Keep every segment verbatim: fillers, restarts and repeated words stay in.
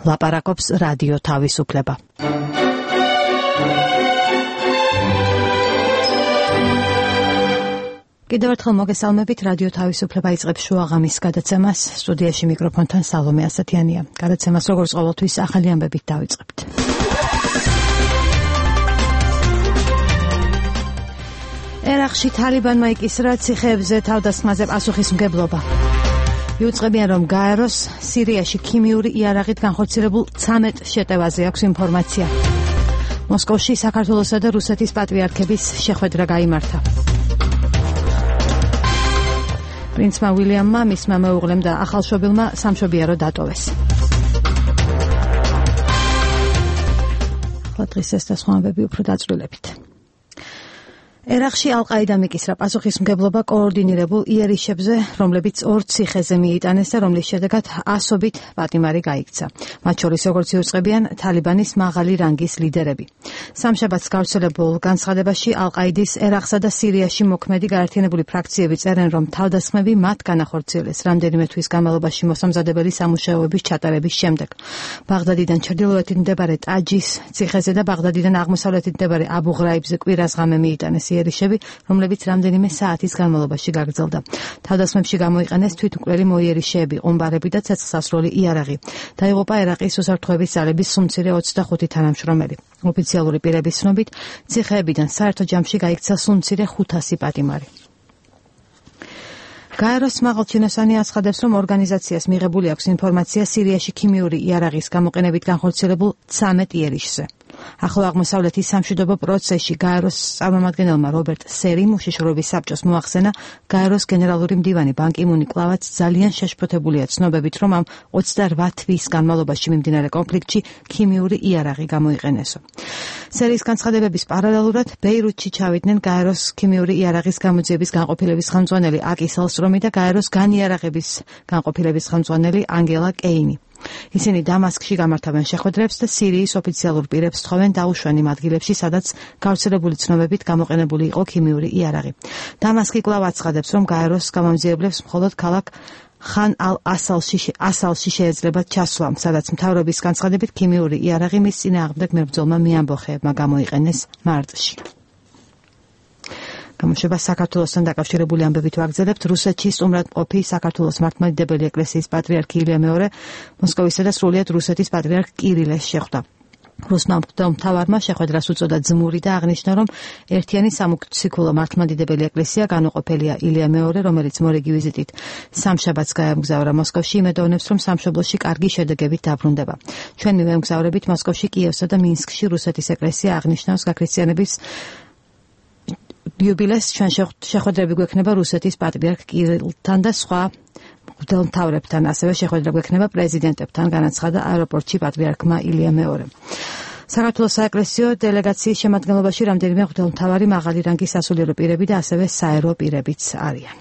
ლაპარაკობს რადიო თავისუფლება. კიდევ ერთხელ მოგესალმებით, რადიო თავისუფლება იწყებს შუაღამის გადაცემას. სტუდიაში მიკროფონთან სალომე ასათიანია. გადაცემას როგორც ყოველთვის ახალი ამბებით დავიწყებთ. ერაყში თალიბანმა იკისრა ციხეებზე თავდასხმაზე პასუხისმგებლობა. იუწყებიან, რომ გაეროს სირიაში ქიმიური იარაღით განხორციელებულ ცამეტ შეტევაზე აქვს ინფორმაცია. მოსკოვში საქართველოსა და რუსეთის პატრიარქების შეხვედრა გაიმართა. პრინცმა უილიამმა, მისმა მეუღლემ და ახალშობილმა სამშობიარო დატოვეს. ახლა დღის ეს და სხვა ამბები უფრო დაწვრილებით. ერაყში ალ-ყაიდამ იკისრა პასუხისმგებლობა კოორდინირებულ იერიშებზე, რომლებიც ორ ციხეზე მიიტანეს და რომლის შედეგად ასობით პატიმარი გაიქცა. მათ შორის, როგორც იუწყებიან, თალიბანის მაღალი რანგის ლიდერები. სამშაბათს გავრცელებულ განცხადებაში ალ-ყაიდის ერაყსა და სირიაში მოქმედი გაერთიანებული ფრაქციები წერენ, რომ თავდასხმები მათ განახორციელეს რამდენიმე თვის განმავლობაში მოსამზადებელი სამუშაოების ჩატარების შემდეგ. ბაღდადიდან ჩრდილოეთით მდებარე ტაჯის ციხეზე და ბაღდადიდან აღმოსავლეთით მდებარე აბუ-ღრაიბზე კვირას ღამე მიიტანეს იერიშები, რომლებიც რამდენიმე საათის განმავლობაში გაგრძელდა. თავდასხმებში გამოიყენეს თვითმკვლელი მოიერიშეები, ყუმბარები და ცეცხლსასროლი იარაღი. დაიღუპა ერაყის უსაფრთხოების ძალების სუმცირე ოცდახუთი თანამშრომელი. ოფიციალური პირების ცნობით, ციხეებიდან საერთო ჯამში გაიქცა სუმცირე ხუთასი პატიმარი. გაეროს მაღალჩინოსანი აცხადებს, რომ ორგანიზაციას მიღებული აქვს ინფორმაცია სირიაში ქიმიური იარაღის გამოყენებით განხორციელებულ ცამეტ იერიშზე. ახლო აღმოსავლეთის სამშვიდობო პროცესში გაეროს წარმომადგენელმა რობერტ სერიმ უშიშროების საბჭოს მოახსენა, გაეროს გენერალური მდივანი ბან კი მუნი კვლავაც ძალიან შეშფოთებულია ცნობებით, რომ ამ ოცდარვა თვის განმავლობაში მიმდინარე კონფლიქტში ქიმიური იარაღი გამოიყენესო. სერის განცხადებების პარალელურად ბეირუთში ჩავიდნენ გაეროს ქიმიური იარაღის გამოძიების განყოფილების ხელმძღვანელი აკი სელსტრომი და გაეროს განიარაღების განყოფილების ხელმძღვანელი ანგელა კეინი. ისინი დამასკში გამართავენ შეხვედრებს და სირიის ოფიციალურ პირებს თხოვენ დაუშვან იმ ადგილებში, სადაც გავრცელებული ცნობებით გამოყენებული იყო ქიმიური იარაღი. დამასკი კვლავ აცხადებს, რომ გაეროს გამომძიებლებს მხოლოდ ქალაქ ხან ალ-ასალში ასალში შეეძლებათ ჩასვლა, სადაც მთავრობის განცხადებით ქიმიური იარაღი მის წინააღმდეგ მებრძოლმა მეამბოხეებმა გამოიყენეს მარტში. გამოშვება საქართველოსთან დაკავშირებული ამბებით ვაგრძელებთ. რუსეთში სტუმრად მყოფი საქართველოს მართლმადიდებელი ეკლესიის პატრიარქი ილია მეორე მოსკოვისა და სრულიად რუსეთის პატრიარქ კირილეს შეხვდა. რუსმა მთავარმა შეხვედრას უწოდა ძმური და აღნიშნა, რომ ერთიანი სამოციქულო მართლმადიდებელი ეკლესია განუყოფელია. ილია მეორე, რომელიც მორიგი ვიზიტით სამშაბათს გაემგზავრა მოსკოვში, იმედოვნებს, რომ სამშობლოში კარგი შედეგებით დაბრუნდება. ჩვენ მივემგზავრებით მოსკოვში, კიევსა და მინსკში რუსეთის ეკლესია აღნიშნავს გაქრისტიანების იუბილეს. ჩვენ შეხვედრები გვექნება რუსეთის პატრიარქ კირილთან და სხვა მღვდელმთავრებთან, ასევე შეხვედრა გვექნება პრეზიდენტებთან, განაცხადა აეროპორტში პატრიარქმა ილია მეორემ. საქართველოს საეკლესიო დელეგაციის შემადგენლობაში რამდენიმე მღვდელმთავარი, მაღალი რანგის სასულიერო პირები და ასევე საერო პირებიც არიან.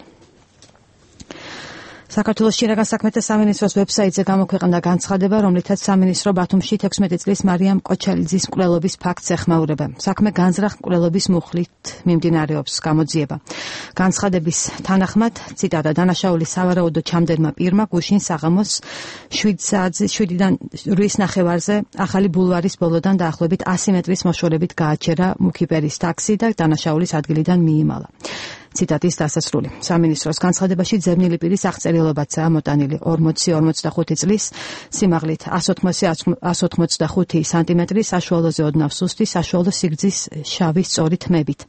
საქართველოს შინაგან საქმეთა სამინისტროს ვებსაიტზე გამოქვეყნდა განცხადება, რომლითაც სამინისტრო ბათუმში თექვსმეტი წლის მარიამ კოჩალიძის მკვლელობის ფაქტს ეხმაურება. საქმე განზრახ მკვლელობის მუხლით მიმდინარეობს გამოძიება. განცხადების თანახმად, ციტატა, დანაშაულის სავარაუდო ჩამდენმა პირმა გუშინ საღამოს შვიდ საათზე შვიდიდან რვის ნახევარზე ახალი ბულვარის ბოლოდან დაახლოებით ასი მეტრის მოშორებით გააჩერა მუქიპერის ტაქსი და დანაშაულის ადგილიდან მიიმალა. ციტატის დასასრული. სამინისტროს განცხადებაში ძებნილი პირის აღწერილობაცაა მოტანილი ორმოცი ორმოცდახუთი წლის, სიმაღლით εκατს ოცდახუთი სანტიმეტრი, საშუალოზე ოდნავ სუსტი, საშუალო სიგრძის შავი სწორი თმებით.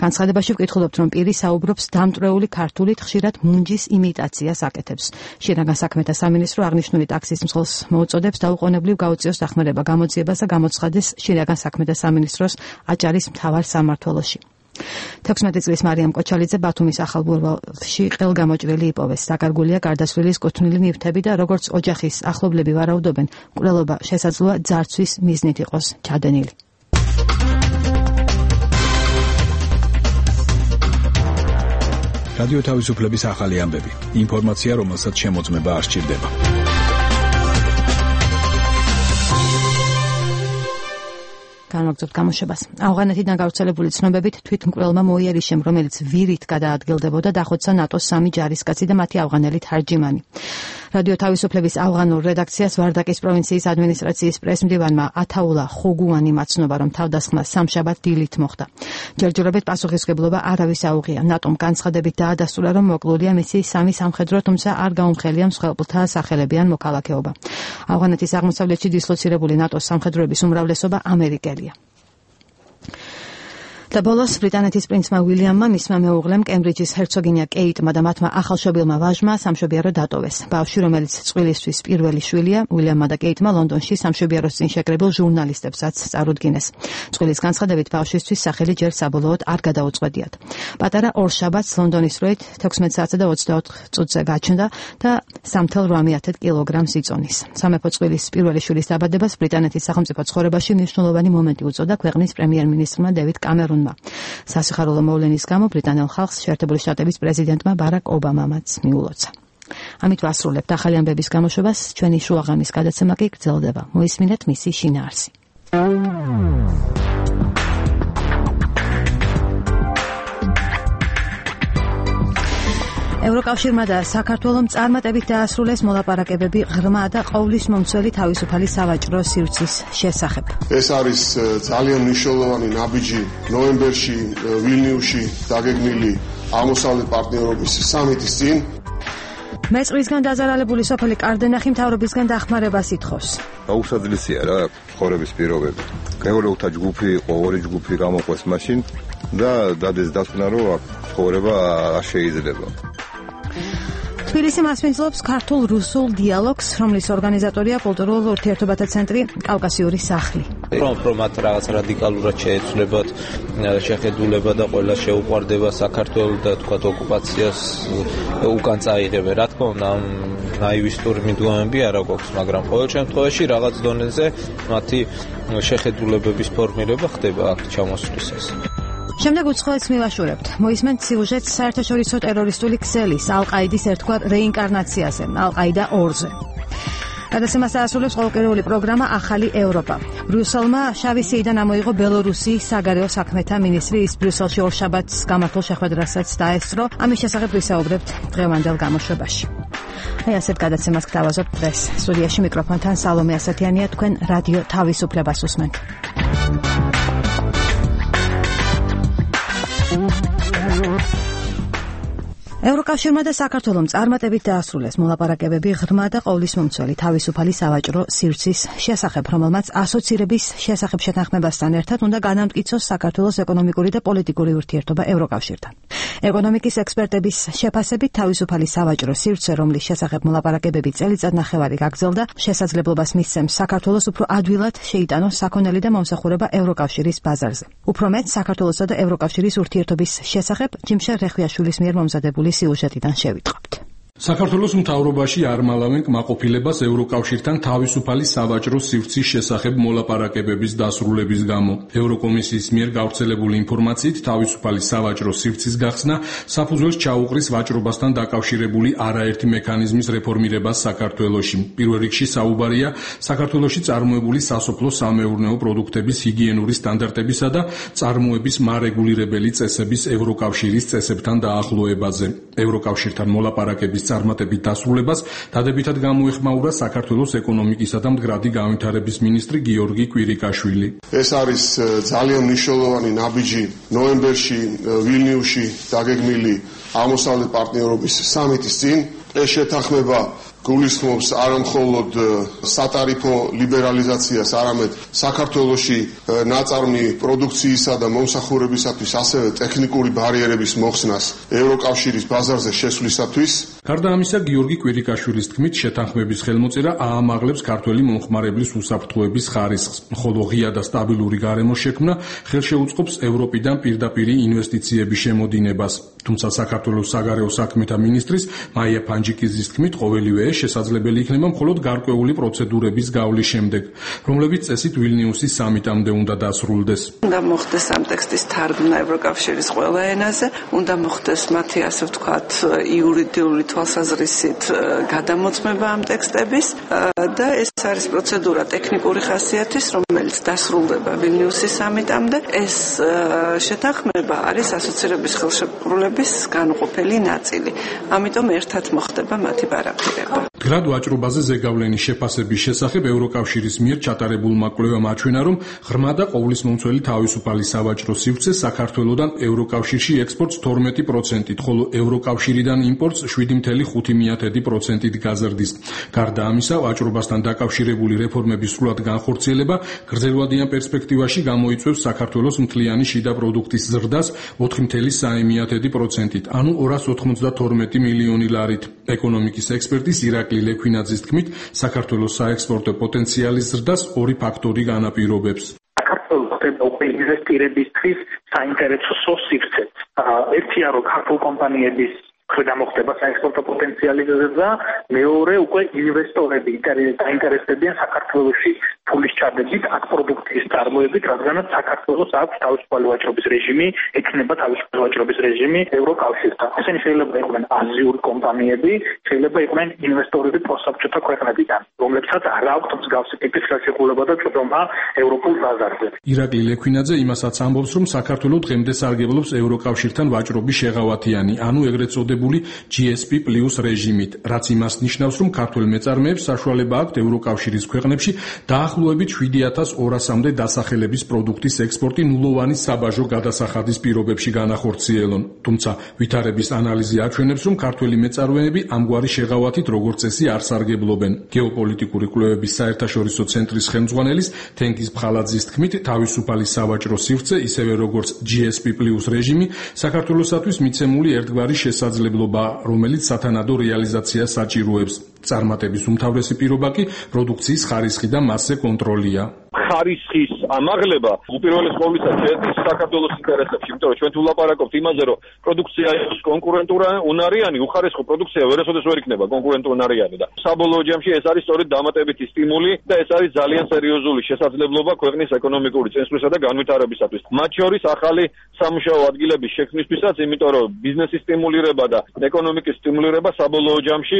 განცხადებაში ვკითხულობთ, რომ პირი საუბრობს დამტვრეული ქართულით, ხშირად მუნჯის იმიტაციას აკეთებს. შინაგან საქმეთა სამინისტრო აღნიშნული ტაქსის მსხლს მოუწოდებს დაუყოვნებლივ გაუწიოს დახმარება გამოძიებას და გამოცხადეს შინაგან საქმეთა სამინისტროს აჭარის მთავარ სამმართველოში. თექვსმეტი წლის მარიამ კოჩალიძე ბათუმის ახალ ბულვარში ყელგამოჭრილი იპოვეს. დაკარგულია გარდაცვლილის კუთვნილი ნივთები და როგორც ოჯახის ახლობლები ვარაუდობენ, მკვლელობა შესაძლოა ძარცვის მიზნით იყოს ჩადენილი. რადიო თავისუფლების ახალი ამბები. ინფორმაცია, რომელსაც შემოწმება არ სჭირდება. განვაგრძობთ გამოშვებას. ავღანეთიდან გავრცელებული ცნობებით თვითმკვლელმა მოიერიშემ, რომელიც ვირით გადაადგილდებოდა, დახოცა ნატოს სამი ჯარისკაცი და მათი ავღანელი თარჯიმანი. რადიო თავისუფლების ავღანურ რედაქციას ვარდაკის პროვინციის ადმინისტრაციის პრესმდივანმა ათაულა ხუგუანი მაცნობა, რომ თავდასხმა სამშაბათ დილით მოხდა. ჯერჯერობით პასუხისმგებლობა არავის აუღია. ნატომ განცხადებით დაადასტურა, რომ მოკლულია მისი სამი სამხედრო, თუმცა არ გაუმხელია მსხვერპლთა სახელები ან მოქალაქეობა. ავღანეთის აღმოსავლეთში დისლოცირებული ნატოს სამხედროების უმრავლესობა ამერიკელია. და ბოლოს ბრიტანეთის პრინცმა უილიამმა, მისმა მეუღლემ, კემბრიჯის ჰერცოგინია კეიტმა და მათმა ახალშობილმა ვაჟმა სამშობიარო დატოვეს. ბავშვი, რომელიც წყვილისთვის პირველი შვილია, უილიამმა და კეიტმა ლონდონში სამშობიაროს წინ შეკრებილ ჟურნალისტებსაც წარუდგინეს. წყვილის განცხადებით, ბავშვისთვის სახელი ჯერ საბოლოოდ არ გადაუწყვეტიათ. პატარა ორშაბათს ლონდონის დროით თექვსმეტ საათსა და ოცდაოთხ წუთზე გაჩნდა და სამი ათეული ოთხ კილოგრამს იწონის. სამეფო წყვილის პირველი შვილის დაბადებას ბრიტანეთის სახელმწიფო ცხოვრებაში მნიშვნელოვანი მომენტი უწოდა ქვეყნის პრემიერ-მინისტრმა დევიდ კამერუნმა. სასიხარულო მოვლენის გამო ბრიტანელ ხალხს შეერთებული შტატების პრეზიდენტმა ბარაკ ობამამაც მიულოცა. ამით ვასრულებთ ახალი ამბების გამოშვებას, ჩვენი შუაღამის გადაცემა კი გრძელდება. მოისმინეთ მისი შინაარსი. ევროკავშირმა და საქართველომ წარმატებით დაასრულეს მოლაპარაკებები ღრმა და ყოვლისმომცველი თავისუფალი სავაჭრო სივრცის შესახებ. ეს არის ძალიან მნიშვნელოვანი ნაბიჯი ნოემბერში ვილნიუსში დაგეგმილი აღმოსავლეთ პარტნიორობის სამიტის წინ. მეწყრისგან დაზარალებული სოფელი კარდენახი მთავრობისგან დახმარებას ითხოვს. აუსაძლისია რა ცხოვრების პირობები. მეურვეთა ჯგუფი იყო, ორი ჯგუფი გამოყვეს მაშინ და დადეს დასკვნა, რომ ცხოვრება არ შეიძლება. თბილისი მასპინძლობს ქართულ-რუსულ დიალოგს, რომლის ორგანიზატორია კულტურულ ურთიერთობათა ცენტრი კავკასიური სახლი. რომ რომ მათ რაღაც რადიკალურად შეეცვლებათ შეხედულება და ყველა შეუყვარდება საქართველოს და თქვათ ოკუპაციას უკან წაიღებენ. რა თქმა უნდა, ნაივისტური მიდგომები არ აქვს, მაგრამ ყოველ შემთხვევაში რაღაც დონეზე მათი შეხედულებების ფორმირება ხდება აქ ჩამოსვლისას. შემდეგ უცხოეთს მივაშურებთ. მოისმენთ სიუჟეტს საერთაშორისო ტერორისტული ქსელის ალ-ყაიდის ერთგვარ რეინკარნაციაზე, ალ-ყაიდა ორზე. გადაცემას დაასრულებს ყოველკვირეული პროგრამა ახალი ევროპა. ბრიუსელმა შავი სიიდან ამოიღო ბელორუსიის საგარეო საქმეთა მინისტრი, ის ბრიუსელში ორშაბათს გამართულ შეხვედრასაც დაესწრო. ამის შესახებ ვისაუბრებთ დღევანდელ გამოშვებაში. აი ასეთ გადაცემას გთავაზობთ დღეს. სტუდიაში მიკროფონთან სალომე ასათიანია, თქვენ რადიო თავისუფლებას უსმენთ. ევროკავშირმა და საქართველომ წარმატებით დაასრულეს მოლაპარაკებები ღრმა და ყოვლისმომცველი თავისუფალი სავაჭრო სივრცის შესახებ, რომელმაც ასოცირების შესახებ შეთანხმებასთან ერთად უნდა განამტკიცოს საქართველოს ეკონომიკური და პოლიტიკური ურთიერთობა ევროკავშირთან. ეკონომიკის ექსპერტების შეფასებით თავისუფალი სავაჭრო სივრცე, რომლის შესახებ მოლაპარაკებები წელიწად ნახევარი გაგრძელდა, შესაძლებლობას მისცემს საქართველოს უფრო ადვილად შეიტანოს საქონელი და მომსახურება ევროკავშირის ბაზარზე. უფრო მეტ, საქართველოსა და ევროკავშირის ურთიერთობის შესახებ ჯიმშელ რეხვიაშვილის მიერ მომზადებული სიუჟეტიდან შევიტყობთ. საქართველოს მთავრობაში არ მალავენ კმაყოფილებას ევროკავშირთან თავისუფალი სავაჭრო სივრცის შესახებ მოლაპარაკებების დასრულების გამო. ევროკომისიის მიერ გავრცელებული ინფორმაციით თავისუფალი სავაჭრო სივრცის გახსნა საფუძველს ჩაუყრის ვაჭრობასთან დაკავშირებული არაერთი მექანიზმის რეფორმირებას საქართველოში. პირველ რიგში საუბარია საქართველოში წარმოებული სასოფლო-სამეურნეო პროდუქტების ჰიგიენური სტანდარტებისა და წარმოების მარეგულირებელი წესების ევროკავშირის წესებთან დაახლოებაზე. ევროკავშირთან მოლაპარაკების წარმატებით დასრულებას დადებითად გამოეხმაურა საქართველოს ეკონომიკისა და მდგრადი განვითარების მინისტრი გიორგი კვირიკაშვილი. ეს არის ძალიან მნიშვნელოვანი ნაბიჯი ნოემბერში ვილნიუსში დაგეგმილი აღმოსავლეთ პარტნიორობის სამიტის წინ. ეს შეთანხმება გულისხმობს არა მხოლოდ სატარიფო ლიბერალიზაციას, არამედ საქართველოში ნაწარმი პროდუქციისა და მომსახურებისათვის ასევე ტექნიკური ბარიერების მოხსნას ევროკავშირის ბაზარზე შესვლისათვის. გარდა ამისა, გიორგი კვირიკაშვილის თქმით, შეთანხმების ხელმოწერა აამაღლებს ქართველი მომხმარებლის უსაფრთხოების ხარისხს, ხოლო ღია და სტაბილური გარემოს შექმნა ხელშეუწყობს ევროპიდან პირდაპირი ინვესტიციების შემოდინებას. თუმცა საქართველოს საგარეო საქმეთა მინისტრის მაია ფანჯიკიძის თქმით, ყოველივე შესაძლებელი იქნება მხოლოდ გარკვეული პროცედურების გავლის შემდეგ, რომლებიც წესით ვილნიუსის სამიტამდე უნდა დასრულდეს. უნდა მოხდეს ამ ტექსტის თარგმნა ევროკავშირის ყველა ენაზე, უნდა მოხდეს მათი ასე ვთქვათ იურიდიული თვალსაზრისით გადამოწმება ამ ტექსტების და ეს არის პროცედურა ტექნიკური ხასიათის, რომელიც დასრულდება ვილნიუსის სამიტამდე. ეს შეთანხმება არის ასოცირების ხელშეკრულების განუყოფელი ნაწილი. ამიტომ ერთად მოხდება მათი პარაფირება. მდგრად ვაჭრობაზე ზეგავლენის შეფასების შესახებ ევროკავშირის მიერ ჩატარებულმა კვლევამ აჩვენა, რომ ღრმა და ყოვლისმომცველი თავისუფალი სავაჭრო სივრცე საქართველოდან ევროკავშირში ექსპორტს თორმეტი პროცენტით, ხოლო ევროკავშირიდან იმპორტს შვიდი целых ხუთი პროცენტით გაზრდის. გარდა ამისა, ვაჭრობასთან დაკავშირებული რეფორმების სრულად განხორციელება გრძელვადიან პერსპექტივაში გამოიწვევს საქართველოს მთლიანი შიდა პროდუქტის ზრდას ოთხი целых სამი პროცენტით, ანუ ორას ოთხმოცდათორმეტი მილიონი ლარით. ეკონომიკის ექსპერტის ირაკლი ლექვინაძის თქმით, საქართველოს საექსპორტო პოტენციალის ზრდას ორი ფაქტორი განაპირობებს. საქართველოს უკვე ინვესტირებისთვის საინტერესო სივრცე. ერთია, რომ ქართულ კომპანიების ქვედა მოხდება საექსპორტო პოტენციალი ზრდა, მეორე უკვე ინვესტორები დაინტერესდებიან საქართველოში ფულის ჩადებით, აქ პროდუქციის წარმოებით, რადგანაც საქართველოს აქვს თავისუფალი ვაჭრობის რეჟიმი, ექნება თავისუფალი ვაჭრობის რეჟიმი ევროკავშირთან. ესენი შეიძლება იყვნენ აზიური კომპანიები, შეიძლება იყვნენ ინვესტორები პროსაბჭოთა ქვეყნებიდან, რომლებსაც არ აქვთ მსგავსი ტიპის ხელშეკრულება და წოდომა ევროპულ ბაზარზე. ირაკლი ლექვინაძე იმასაც ამბობს, რომ საქართველო დღემდე სარგებლობს ევროკავშირთან ვაჭრობის შეღავათიანი, ანუ ეგრეთ წოდებული ჯი ეს პი პლუს რეჟიმით, რაც იმას ნიშნავს, რომ ქართველ მეწარმეებს საშუალება აქვთ ევროკავშირის ქვეყნებში დაახლოებით შვიდი ათას ორასამდე დასახელების პროდუქტის ექსპორტი ნულოვანი საბაჟო გადასახადის პირობებში განახორციელონ. თუმცა ვითარების ანალიზი აჩვენებს, რომ ქართველი მეწარმეები ამგვარი შეღავათით როგორც წესი არ სარგებლობენ. გეოპოლიტიკური კვლევების საერთაშორისო ცენტრის ხელმძღვანელის თენგიზ ბხალაძის თქმით, თავისუფალი სავაჭრო სივრცე, ისევე როგორც ჯი ეს პი პლუს რეჟიმი, საქართველოსათვის მიცემული ერთგვარი შესაძლებლობა, რომელიც სათანადო რეალიზაციას საჭიროებს. წარმატების უმთავრესი პირობა კი პროდუქციის ხარისხი და მასზე კონტროლია. ხარისხის ამაღლება უპირველეს ყოვლისა შედის საქართველოს ინტერესებში, იმიტომ რომ ჩვენ თუ ვლაპარაკობთ იმაზე, რომ პროდუქცია იყოს კონკურენტუნარიანი, უხარისხო პროდუქცია ვერასოდეს ვერ იქნება კონკურენტუნარიანი და საბოლოო ჯამში ეს არის სწორედ დამატებითი სტიმული და ეს არის ძალიან სერიოზული შესაძლებლობა ქვეყნის ეკონომიკური წინსვლისა და განვითარებისათვის. მათ შორის ახალი სამუშაო ადგილების შექმნისთვისაც, იმიტომ რომ ბიზნესის სტიმულირება და ეკონომიკის სტიმულირება საბოლოო ჯამში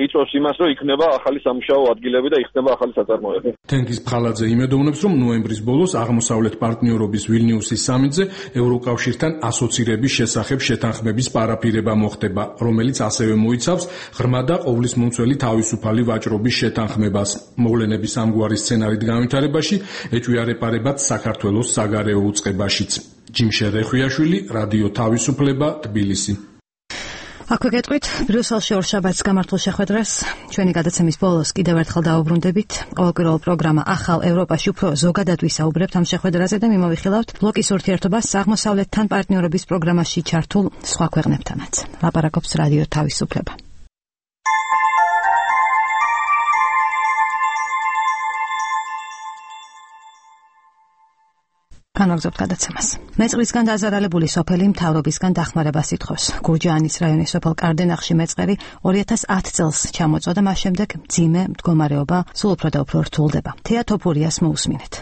იწვევს იმას, რომ იქნება ახალი სამუშაო ადგილები და იქნება ახალი საწარმოები. თენგიზ ბხალაძე იმედოვნებს, რომ ნოემბრის ბოლოს აღმოსავლეთ პარტნიორობის ვილნიუსის სამიტზე ევროკავშირთან ასოცირების შესახებ შეთანხმების პარაფირება მოხდება, რომელიც ასევე მოიცავს ღრმა და ყოვლისმომცველი თავისუფალი ვაჭრობის შეთანხმებას. მოვლენების ამგვარი სცენარით განვითარებაში ეჭვიარეპარებად საქართველოს საგარეო უწყებაშიც. ჯიმშე რეხვიაშვილი, რადიო თავისუფლება, თბილისი. აქვე გეტყვით, ბრიუსელში ორშაბათს გამართულ შეხვედრას ჩვენი გადაცემის ბოლოს კიდევ ერთხელ დავუბრუნდებით. ყოველკვირეულ პროგრამა ახალ ევროპაში უფრო ზოგადად ვისაუბრებთ ამ შეხვედრაზე და მიმოვიხილავთ ბლოკის ურთიერთობას აღმოსავლეთთან პარტნიორობის პროგრამაში ჩართულ სხვა ქვეყნებთანაც. ლაპარაკობს რადიო თავისუფლება. განაგზობთ გადაცემას. მეწყრისგან დაზარალებული სოფელი მთავრობისგან დახმარებას ითხოვს. გურჯაანის რაიონის სოფელ კარდენახში მეწყერი ორი ათას ათი წელს ჩამოწვა და მას შემდეგ მძიმე მდგომარეობა სულ უფრო და უფრო რთულდება. თეა თოფურიას მოусმინეთ.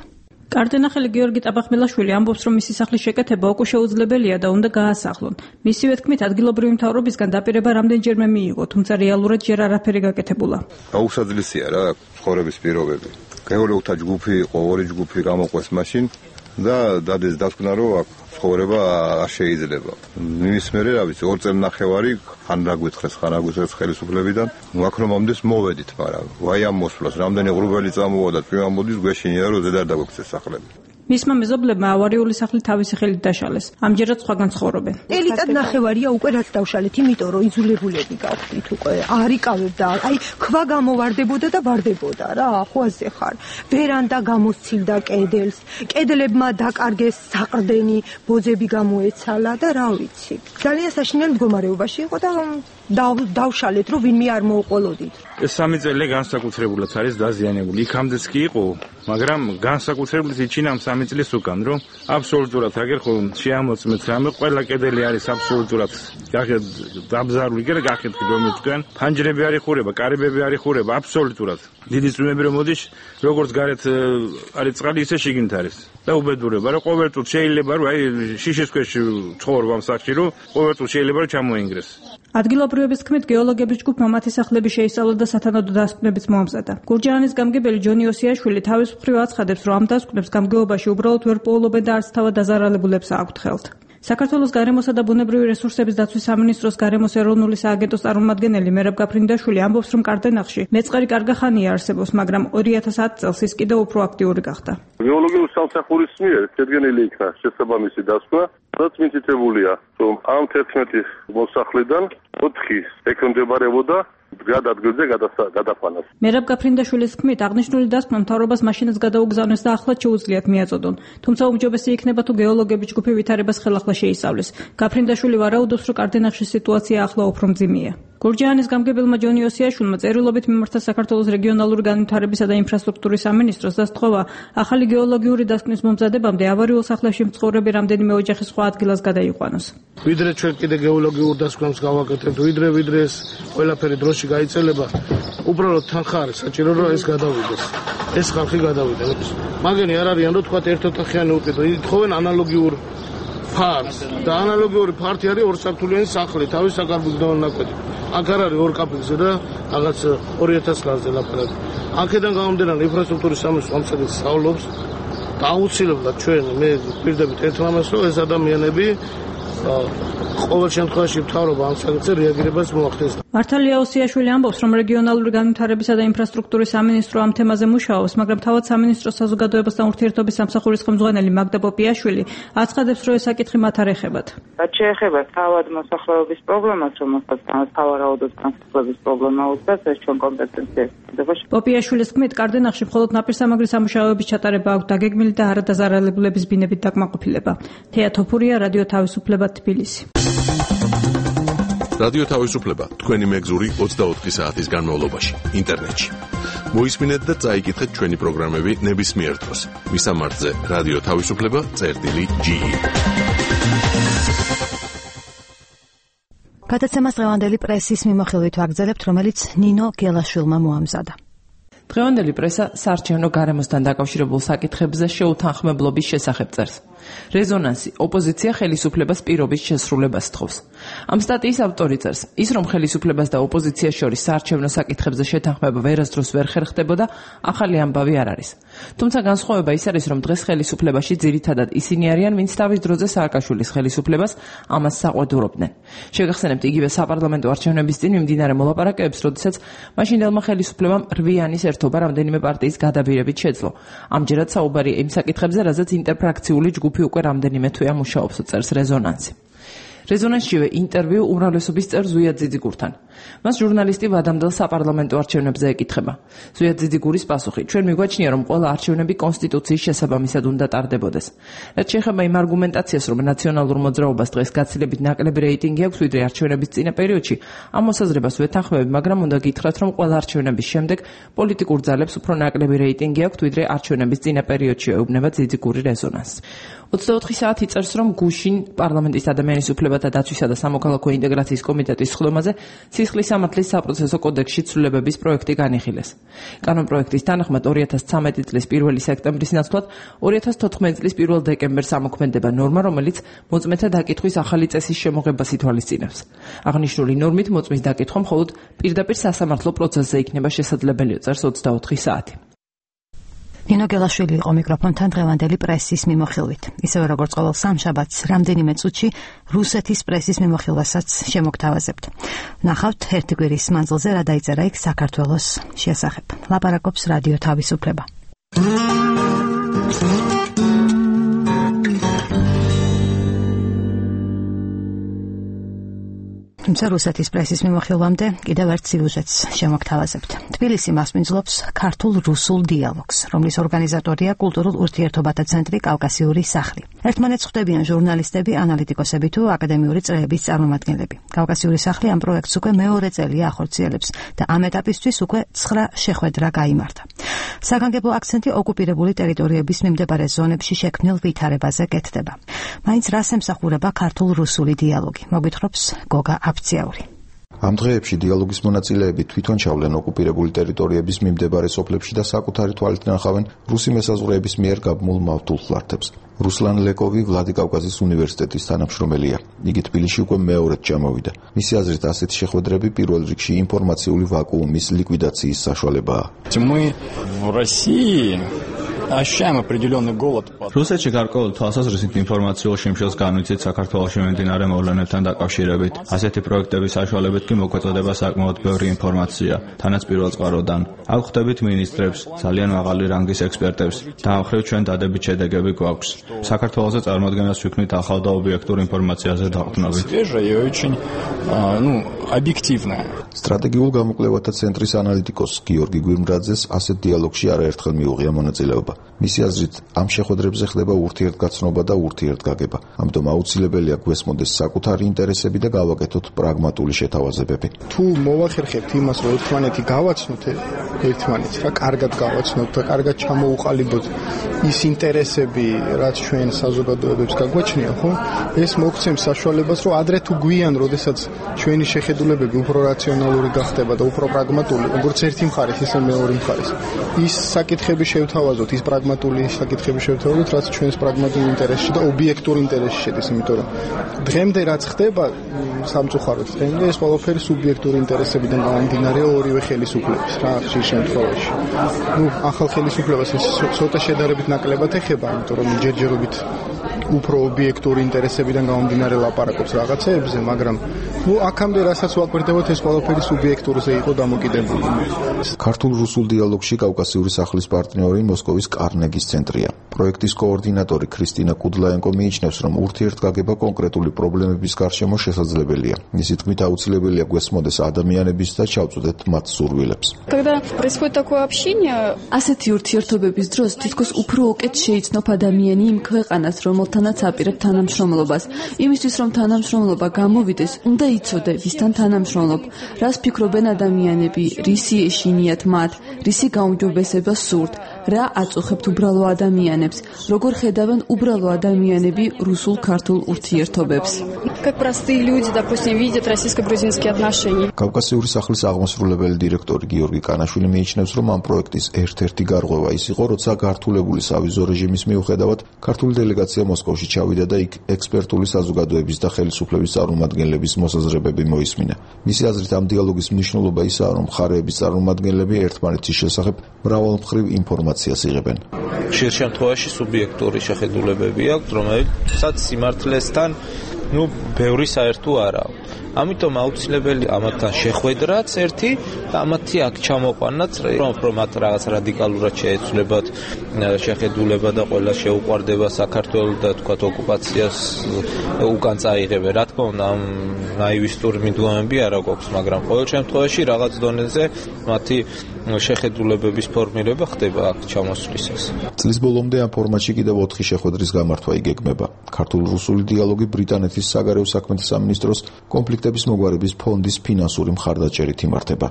კარდენახელი გიორგი ტაბახმელაშვილი ამბობს, რომ მისი სახლის შეკეთება უკვე შეუძლებელია და უნდა გაასახლონ. მისივე თქმით, ადგილობრივი მთავრობისგან დაპირება რამდენჯერმე მიიღო, თუმცა რეალურად ჯერ არაფერი გაკეთებულა. აუსაძლისია რა ცხოვრების პირობები. გეოლოგთა ჯგუფი იყო, ორი ჯგუფი გამოყვეს მაშინ და დადეს დასკვნა, რომ აქ ცხოვრება არ შეიძლება. მის მერე რა ვიცი, ორ წელნახევარი ხან რა გვითხრეს, ხან რა გვითხრეს ხელისუფლებიდან. აქ რომ მომდეს მოვედით, მაგრამ ვაი ამ მოსვლას, რამდენი ღრუბელი წამოვა და თვი ამოდის, გვეშინია რომ ზედ არ დაგვექცეს სახლები. მისმა მეზობლებმა ავარიული სახლი თავისი ხელით დაშალეს. ამჯერად სხვაგან ცხოვრობენ. ელიტად ნახევარია უკვე რაც დავშალეთ, იმიტომ რომ იძულებულები გავხდით უკვე. არ იკავებდა, აი ქვა გამოვარდებოდა და ვარდებოდა რა, ხო ასე ხარ. ვერანდა გამოსცილდა კედელს, კედლებმა დაკარგეს საყრდენი, ბოძები გამოეცალა და რა ვიცი. ძალიან საშინელ მდგომარეობაში იყო და დავშალეთ, რომ ვინმე არ მოუყოლოდით. ეს სამი წელი განსაკუთრებულად არის დაზიანებული. იქამდეც კი იყო, მაგრამ განსაკუთრებით იჩინა ამ სამი წლის უკან, რომ აბსოლუტურად აგერ ხო შეამოწმეთ რამე, ყველა კედელი არის აბსოლუტურად გახეთ დაბზარული, კი რა გახეთ რომ თქვენ, ფანჯრები არ იხურება, კარიბები არ იხურება, აბსოლუტურად. დიდი წვიმები რომ მოდის, როგორც გარეთ არის წყალი, ისე შიგნით არის. და უბედურება, რომ ყოველწუთი შეიძლება რომ აი შიშის ქვეშ ცხოვრობ ამ სახლში, რომ ყოველწუთი შეიძლება რომ ჩამოინგრეს. ადგილობრივების თქმით, გეოლოგების ჯგუფმა მათი სახლები შეისწავლა და სათანადო დასკვნებიც მოამზადა. გურჯაანის გამგებელი ჯონი ოსიაშვილი თავის მხრივ აცხადებს, რომ ამ დასკვნებს გამგეობაში უბრალოდ ვერ პოულობენ და არც თავად დაზარალებულებს აქვთ ხელთ. საქართველოს გარემოსა და ბუნებრივი რესურსების დაცვის სამინისტროს გარემოს ეროვნული სააგენტოს წარმომადგენელი მერაბ გაფრინდაშვილი ამბობს, რომ კარდენახში მეწყერი კარგი ხანია არსებობს, მაგრამ ორი ათას ათი წელს ის კიდევ უფრო აქტიური გახდა. გეოლოგიური სამსახურის მიერ შედგენილი იქნა შესაბამისი დასკვნა, რაც მითითებულია, რომ ამ თერთმეტი მოსახლიდან ოთხი ექვემდებარებოდა გადადგილზე გადაფანას. მერაბ გაფრინდაშვილის თქმით, აღნიშნული დასკვნა მთავრობას მაშინაც გადაუგზავნეს და ახლაც შეუძლიათ მიაწოდონ. თუმცა უმჯობესი იქნება თუ გეოლოგები ჯგუფი ვითარებას ხელახლა შეისწავლეს. გაფრინდაშვილი ვარაუდობს, რომ კარდენახში სიტუაცია ახლა უფრო მძიმეა. გურჯაანის გამგებელმა ჯონი ოსიაშვილმა წერილობით მიმართა საქართველოს რეგიონალური განვითარებისა და ინფრასტრუქტურის სამინისტროს და სთხოვა, ახალი გეოლოგიური დასკვნის მომზადებამდე ავარიულ სახლებში მცხოვრები რამდენიმე ოჯახი სხვა ადგილას გადაიყვანოს. ვიდრე ჩვენ კიდე გეოლოგიურ დასკვნებს გავაკეთებთ, ვიდრე ვიდრე ეს ყველაფერი დროში გაიწელება, უბრალოდ თანხა არის საჭირო, რომ ეს გადავიდეს. ეს ხალხი გადავიდეს. მაგენი არ არიან, რომ თქვა ერთოთახიანი უკიდო, ითხოვენ ანალოგიურ ფარს და ანალოგიური ფართი არის ორსართულიანი სახლი, თავის საკარბუზდოვან ნაკვეთი. აქ არ არის ორ კაპელზე და რაღაც ორი ათას ლარზე ლაპარაკი. აქედან გამომდინარე ინფრასტრუქტურის სამინისტრო ამ საკითხს სწავლობს და აუცილებლად ჩვენ მე პირდებით ეთმამას, რომ ეს ადამიანები ყოველ შემთხვევაში მთავრობა ამ საკითხზე რეაგირებას მოახდენს. მართალია ოსიაშვილი ამბობს, რომ რეგიონალური განვითარებისა და ინფრასტრუქტურის სამინისტრო ამ თემაზე მუშაობს, მაგრამ თავად სამინისტროს საზოგადოებასთან ურთიერთობის სამსახურის ხელმძღვანელი მაგდა პოპიაშვილი აცხადებს, რომ ეს საკითხი მათ არ ეხებათ. რაც შეეხება თავად მოსახლეობის პრობლემას, რომელსაც თავარაუდოდ განსხვავების პრობლემა უწევს, ეს ჩვენ კომპეტენციაა. პოპიაშვილის თქმით, კარდენახში მხოლოდ ნაპირსამაგრის სამუშაოების ჩატარება აქვს დაგეგმილი და არადაზარალებულების ბინებით დაკმაყოფილება. თეა თოფურია, რადიო თავისუფლება, თბილისი. რადიო თავისუფლება თქვენი მეგზური ოცდაოთხი საათის განმავლობაში ინტერნეტში. მოისმინეთ და წაიკითხეთ ჩვენი პროგრამები ნებისმიერ დროს. მისამართზე რადიო თავისუფლება წერტილი ჯი ი. გადაცემას დღევანდელი პრესის მიმოხილვით ვაგრძელებთ, რომელიც ნინო გელაშვილმა მოამზადა. დღევანდელი პრესა საარჩევნო გარემოსთან დაკავშირებულ საკითხებზე შეუთანხმებლობის შესახებ წერს. რეზონანსი ოპოზიცია ხელისუფლებას პირობის შესრულებას თხოვს. ამ სტატიის ავტორი წერს, ის რომ ხელისუფლებას და ოპოზიციას შორის საარჩევნო საკითხებზე შეთანხმება ვერასდროს ვერ ხერხდებოდა, ახალი ამბავი არ არის. თუმცა განსხვავება ის არის, რომ დღეს ხელისუფლებაში ძირითადად ისინი არიან, ვინც თავის დროზე სააკაშვილის ხელისუფლებას ამას საყვედურობდნენ. შეგახსენებთ იგივე საპარლამენტო არჩევნების წინ მიმდინარე მოლაპარაკებებს, როდესაც მაშინდელმა ხელისუფლებამ რვიანის ერთობა რამდენიმე პარტიის გადაბირებით შეძლო. ამჯერად საუბარია იმ საკითხებზე, რაზეც ინტერფრაქციული ჯგუფი უკვე რამდენიმე თვეა მუშაობს, წერს რეზონანსი. რეზონანსშივე ინტერვიუ უმრავლესობის წევრ ზვიად ძიძიგურთან. მას ჟურნალისტი ვადამდელ საპარლამენტო არჩევნებზე ეკითხება. ზვიად ძიძიგურის პასუხი: ჩვენ მიგვაჩნია, რომ ყველა არჩევნები კონსტიტუციის შესაბამისად უნდა ტარდებოდეს. რაც შეეხება იმ არგუმენტაციას, რომ ნაციონალურ მოძრაობას დღეს გაცილებით ნაკლები რეიტინგი აქვს, ვიდრე არჩევნების წინა პერიოდში, ამ მოსაზრებას ვეთანხმები, მაგრამ უნდა გითხრათ, რომ ყველა არჩევნების შემდეგ პოლიტიკურ ძალებს უფრო ნაკლები რეიტინგი აქვს, ვიდრე არჩევნების წინა პერიოდში, ეუბნება ძიძიგური რეზონანსს. ოცდაოთხი საათი წერს, რომ გუშინ პარლამენტის ადამიანის უფლებათა დაცვისა და სამოქალაქო ინტეგრაციის კომიტეტის სხდომაზე სისხლის სამართლის საპროცესო კოდექსში ცვლილებების პროექტი განიხილეს. კანონპროექტის თანახმად ორი ათას ცხრამეტი წლის პირველი სექტემბრის ნაცვლად ორი ათას თოთხმეტი წლის პირველ დეკემბერს ამოქმედება ნორმა, რომელიც მოწმეთა დაკითხვის ახალი წესის შემოღებას ითვალისწინებს. აღნიშნული ნორმით მოწმის დაკითხვა მხოლოდ პირდაპირ სასამართლო პროცესზე იქნება შესაძლებელი, წერს ოცდაოთხი საათი. ნინო გელაშვილი იყო მიკროფონთან დღევანდელი პრესის მიმოხილვით. ისევე როგორც ყოველ სამშაბათს, რამდენიმე წუთში რუსეთის პრესის მიმოხილვასაც შემოგთავაზებთ. ნახავთ ერთი კვირის მანძილზე რა დაიწერა იქ საქართველოს შესახებ. ლაპარაკობს რადიო თავისუფლება. თუმცა რუსეთის პრესის მიმოხილვამდე კიდევ ერთ სიუჟეტს შემოგთავაზებთ. თბილისი მასპინძლობს ქართულ-რუსულ დიალოგს, რომლის ორგანიზატორია კულტურულ ურთიერთობათა ცენტრი კავკასიური სახლი. ერთმანეთს ხვდებიან ჟურნალისტები, ანალიტიკოსები თუ აკადემიური წრეების წარმომადგენლები. კავკასიური სახლი ამ პროექტს უკვე მეორე წელია ახორციელებს და ამ ეტაპისთვის უკვე ცხრა შეხვედრა გაიმართა. საგანგებო აქცენტი ოკუპირებული ტერიტორიების მიმდებარე ზონებში შექმნილ ვითარებაზე კეთდება. მაინც რას ემსახურება ქართულ-რუსული დიალოგი? მოგვითხრობს გოგა აფციაური. ამ დღეებში დიალოგის მონაწილეები თვითონ ჩავლენ ოკუპირებული ტერიტორიების მიმდებარე სოფლებში და საკუთარი თვალით ნახავენ რუსი მესაზღვრეების მიერ გაბმულ მავთულ ხლართებს. რუსლან ლეკოვი ვლადიკავკაზის უნივერსიტეტის თანამშრომელია. იგი თბილისში უკვე მეორედ ჩამოვიდა. მისი აზრით, ასეთი შეხვედრები პირველ რიგში ინფორმაციული ვაკუუმის ლიკვიდაციის საშუალებაა. Мы в России ощущаем определенный голод. რუსეთში გარკვეული თვალსაზრისით ინფორმაციულ შიმშილს განვიცით საქართველოში მიმდინარე მოვლენებთან დაკავშირებით. ასეთი პროექტების საშუალებით კი მოგვეწოდება საკმაოდ ბევრი ინფორმაცია, თანაც პირველწყაროდან. აქ ხვდებით მინისტრებს, ძალიან მაღალი რანგის ექსპერტებს და ამ მხრივ ჩვენ დადებით შედეგები გვაქვს. საქართველოზე წარმოადგენას ვიქნით ახალ და ობიექტურ ინფორმაციაზე დაყრდნობით. ну, объективная. სტრატეგიულ გამოკვლევათა ცენტრის ანალიტიკოს გიორგი გვირმრაძეს ასეთ დიალოგში არაერთხელ მიუღია მონაწილეობა. მისი აზრით, ამ შეხვედრებზე ხდება ურთიერთგაცნობა და ურთიერთგაგება. ამიტომ აუცილებელია გვესმოდეს საკუთარი ინტერესები და გავაკეთოთ პრაგმატული შეთავაზებები. თუ მოვახერხებთ იმას, რომ ერთმანეთი გავაცნოთ ერთმანეთს, რა კარგად გავაცნოთ და კარგად ჩამოუყალიბოთ ის ინტერესები, რაც ჩვენ საზოგადოებებს გაგვაჩნია, ხო? ეს მოგცემს საშუალებას, რომ ადრე თუ გვიან, როდესაც ჩვენი შეხედულებები უფრო რაციონალური გახდება და უფრო პრაგმატული, როგორც ერთი მხარის, ისე მეორე მხარის. ის საკითხები შევთავაზოთ, ის პრაგმატული საკითხები შევთავაზოთ, რაც ჩვენს პრაგმატულ ინტერესში და ობიექტურ ინტერესში შედის, იმიტომ რომ დღემდე რაც ხდება სამწუხაროდ, დღემდე ეს ყველაფერი სუბიექტური ინტერესებიდან გამომდინარე ორივე ხელისუფლების რა ხშირ შემთხვევაში. ну, ახალ ხელისუფლებას ეს ცოტა შედარებით ნაკლებად ეხება, იმიტომ რომ ჯერჯერობით უფრო ობიექტური ინტერესებიდან გამომდინარე ლაპარაკობს რაღაცეებზე, მაგრამ ну, აქამდე რასაც ვაკვირდებოთ, ეს ყველაფერი სუბიექტურზე იყო დამოკიდებული. ქართულ-რუსულ დიალოგში კავკასიური სახლის პარტნიორი მოსკოვის კარნეგის ცენტრია. პროექტის კოორდინატორი ქრისტინა კუდლაენკო მიიჩნევს, რომ ურთიერთგაგება კონკრეტული პრობლემების გარშემო შესაძლებელია. მისი თქმით, აუცილებელია გვესმოდეს ადამიანების და ჩავწვდეთ მათ სურვილებს. Когда происходит такое общение, ასეთი ურთიერთობების დროს თითქოს უფრო უკეთ შეიცნობს ადამიანი იმ ქვეყანას, რომელთანაც აპირებ თანამშრომლობას. იმისთვის, რომ თანამშრომლობა გამოვიდეს, უნდა იცოდე, ვისთან თანამშრომლობ, რას ფიქრობენ ადამიანები, რისი ეშინიათ მათ, რისი გაუმჯობესება სურთ, რა აწუხებთ უბრალო ადამიანებს, როგორ ხედავენ უბრალო ადამიანები რუსულ-ქართულ ურთიერთობებს. Как простые люди, допустим, видят российско-грузинские отношения. კავკასიური სახლის აღმასრულებელი დირექტორი გიორგი კანაშვილი მიიჩნევს, რომ ამ პროექტის ერთ-ერთი გარღვევა ის იყო, როცა გართულებული სავიზო რეჟიმის მიუხედავად ქართული დელეგაცია მოსკოვში ჩავიდა და იქ ექსპერტული საზოგადოების და ხელისუფლების წარმომადგენლების მოსაზრებები მოისმინა. მისი აზრით, ამ დიალოგის მნიშვნელობა ისაა, რომ მხარეების წარმომადგენლები ერთმანეთის შესახებ მრავალმხრივ ინფორმაციას იღებენ. ხშირ შემთხვევაში სუბიექტური შეხედულებები აქვს, რომელსაც სიმართლესთან ну, ბევრი საერთო არა. ამიტომ აუცილებელი ამათთან შეხვედრაც ერთი და ამათი აქ ჩამოყვანაც, რომ რომ მათ რაღაც რადიკალურად შეეცვლებათ შეხედულება და ყველა შეუყვარდება საქართველოს და თქვათ ოკუპაციას უკან წაიღებენ. რა თქმა უნდა, ამ ნაივისტური მიდუამები არა გვაქვს, მაგრამ ყოველ შემთხვევაში რაღაც დონეზე მათი შეხედულებების ფორმირება ხდება აქ ჩამოსვლისას. წლის ბოლომდე ამ ფორმატში კიდევ ოთხი შეხვედრის გამართვა იგეგმება. ქართულ-რუსული დიალოგი ბრიტანეთის საგარეო საქმეთა სამინისტროს კონფლიქტების მოგვარების ფონდის ფინანსური მხარდაჭერით იმართება.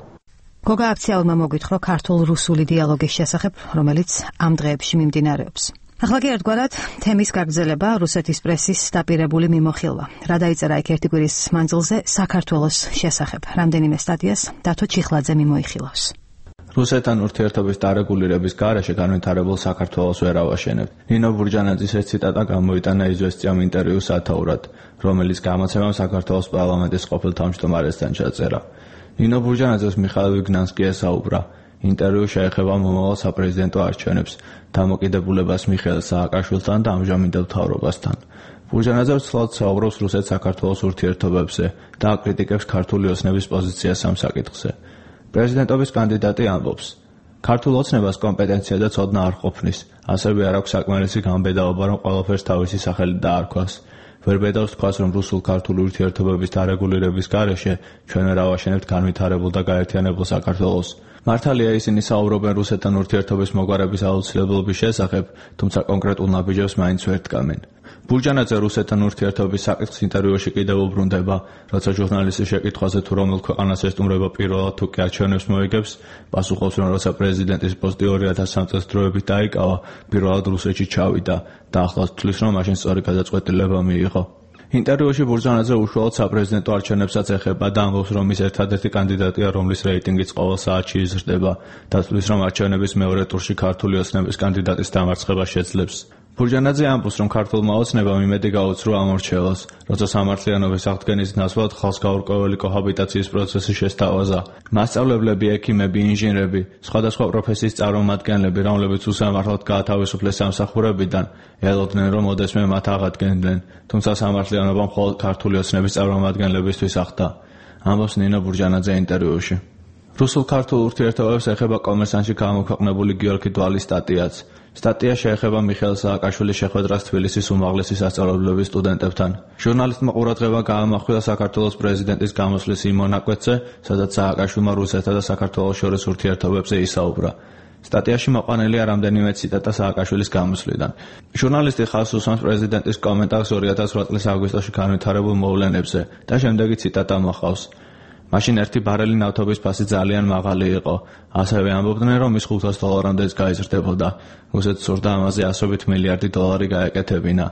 გოგა აფციალმა მოგვითხრა ქართულ-რუსული დიალოგის შესახებ, რომელიც ამ დღეებში მიმდინარეობს. ახლა კი ერთგვარად თემის გაგრძელება რუსეთის პრესის დაპირებული მიმოხილვა. რა დაიწერა იქ ერთი კვირის მანძილზე საქართველოს შესახებ. რამდენიმე სტატიას დათო ჩიხლაძე მიმოიხილავს. რუსეთთან ურთიერთობის დარეგულირების გარეშე განვითარებულ საქართველოს ვერ ავაშენებთ. ნინო ბურჯანაძის ეს ციტატა გამოიტანა იზვესტიამ ინტერვიუ სათაურად, რომელიც გამოცემამ საქართველოს პარლამენტის ყოფილ თავმჯდომარესთან ჩაწერა. ნინო ბურჯანაძეს მიხაილ ვიგნანსკი ესაუბრა. ინტერვიუ შეეხება მომავალ საპრეზიდენტო არჩევნებს, დამოკიდებულებას მიხეილ სააკაშვილთან და ამჟამინდელ მთავრობასთან. ბურჯანაძე ცლად საუბრობს რუსეთ-საქართველოს ურთიერთობებზე და აკრიტიკებს ქართული ოცნების პოზიციას ამ საკითხზე. პრეზიდენტობის კანდიდატი ამბობს: ქართულ ოცნებას კომპეტენცია და ცოდნა არ ყოფნის, ასევე არ აქვს საკმარისი გამბედაობა, რომ ყველაფერს თავისი სახელი დაარქვას. ვერ ბედავს თქვას, რომ რუსულ-ქართული ურთიერთობების დარეგულირების გარეშე ჩვენ ვერ ავაშენებთ განვითარებულ და გაერთიანებულ საქართველოს. მართალია ისინი საუბრობენ რუსეთთან ურთიერთობის მოგვარების აუცილებლობის შესახებ, თუმცა კონკრეტულ ნაბიჯებს მაინც ვერ დგამენ. ბურჯანაძე რუსეთთან ურთიერთობის საკითხს ინტერვიუში კიდევ უბრუნდება, როცა ჟურნალისტის შეკითხვაზე თუ რომელ ქვეყანას ესტუმრება პირველად თუ კი არჩევნებს მოიგებს, პასუხობს, რომ როცა პრეზიდენტის პოსტი ორი ათას სამი წელს დროებით დაიკავა, პირველად რუსეთში ჩავიდა და ახლაც თვლის, რომ მაშინ სწორი გადაწყვეტილება მიიღო. ინტერვიუში ბურჯანაძე უშუალოდ საპრეზიდენტო არჩევნებსაც ეხება და ამბობს, რომ ის ერთადერთი კანდიდატია, რომლის რეიტინგიც ყოველ საათში იზრდება და თვლის, რომ არჩევნების მეორე ტურში ქართული ოცნების კანდიდატის დამარცხება შეძლებს. ბურჯანაძე ამბობს, რომ ქართულმა ოცნებამ იმედი გაუცრო ამორჩევლას, როცა სამართლიანობის აღდგენის ნაცვლად ხალხს გაურკვეველი კოჰაბიტაციის პროცესი შესთავაზა. მასწავლებლები, ექიმები, ინჟინრები, სხვადასხვა პროფესიის წარმომადგენლები, რომლებიც უსამართლოდ გაათავისუფლეს სამსახურებიდან, ელოდნენ, რომ ოდესმე მათ აღადგენდნენ, თუმცა სამართლიანობამ მხოლოდ ქართული ოცნების წარმომადგენლებისთვის ახდა. ამბობს ნინო ბურჯანაძე ინტერვიუში. რუსულ-ქართულ ურთიერთობებს ეხება კომერსანტში გამოქვეყნებული გიორგი დვალის სტატიაც. სტატია შეეხება მიხეილ სააკაშვილის შეხვედრას თბილისის უმაღლესი სასწავლებლების სტუდენტებთან. ჟურნალისტმა ყურადღება გაამახვილა საქართველოს პრეზიდენტის გამოსვლის იმ მონაკვეთზე, სადაც სააკაშვილმა რუსეთსა და საქართველოს შორის ურთიერთობებზე ისაუბრა. სტატიაში მოყვანილია რამდენიმე ციტატა სააკაშვილის გამოსვლიდან. ჟურნალისტი ხაზს უსვამს პრეზიდენტის კომენტარს ორი ათას ოთხ წლის აგვისტოში განვითარებულ მოვლენებზე და შემდეგი ციტატა მოყავს. მაშინ ერთი ბარელი ნავთობის ფასი ძალიან მაღალი იყო. ასევე ამბობდნენ, რომ ის ხუთას დოლარამდეც გაიზრდებოდა. რუსეთს სურდა ამაზე ასობით მილიარდი დოლარი გაეკეთებინა.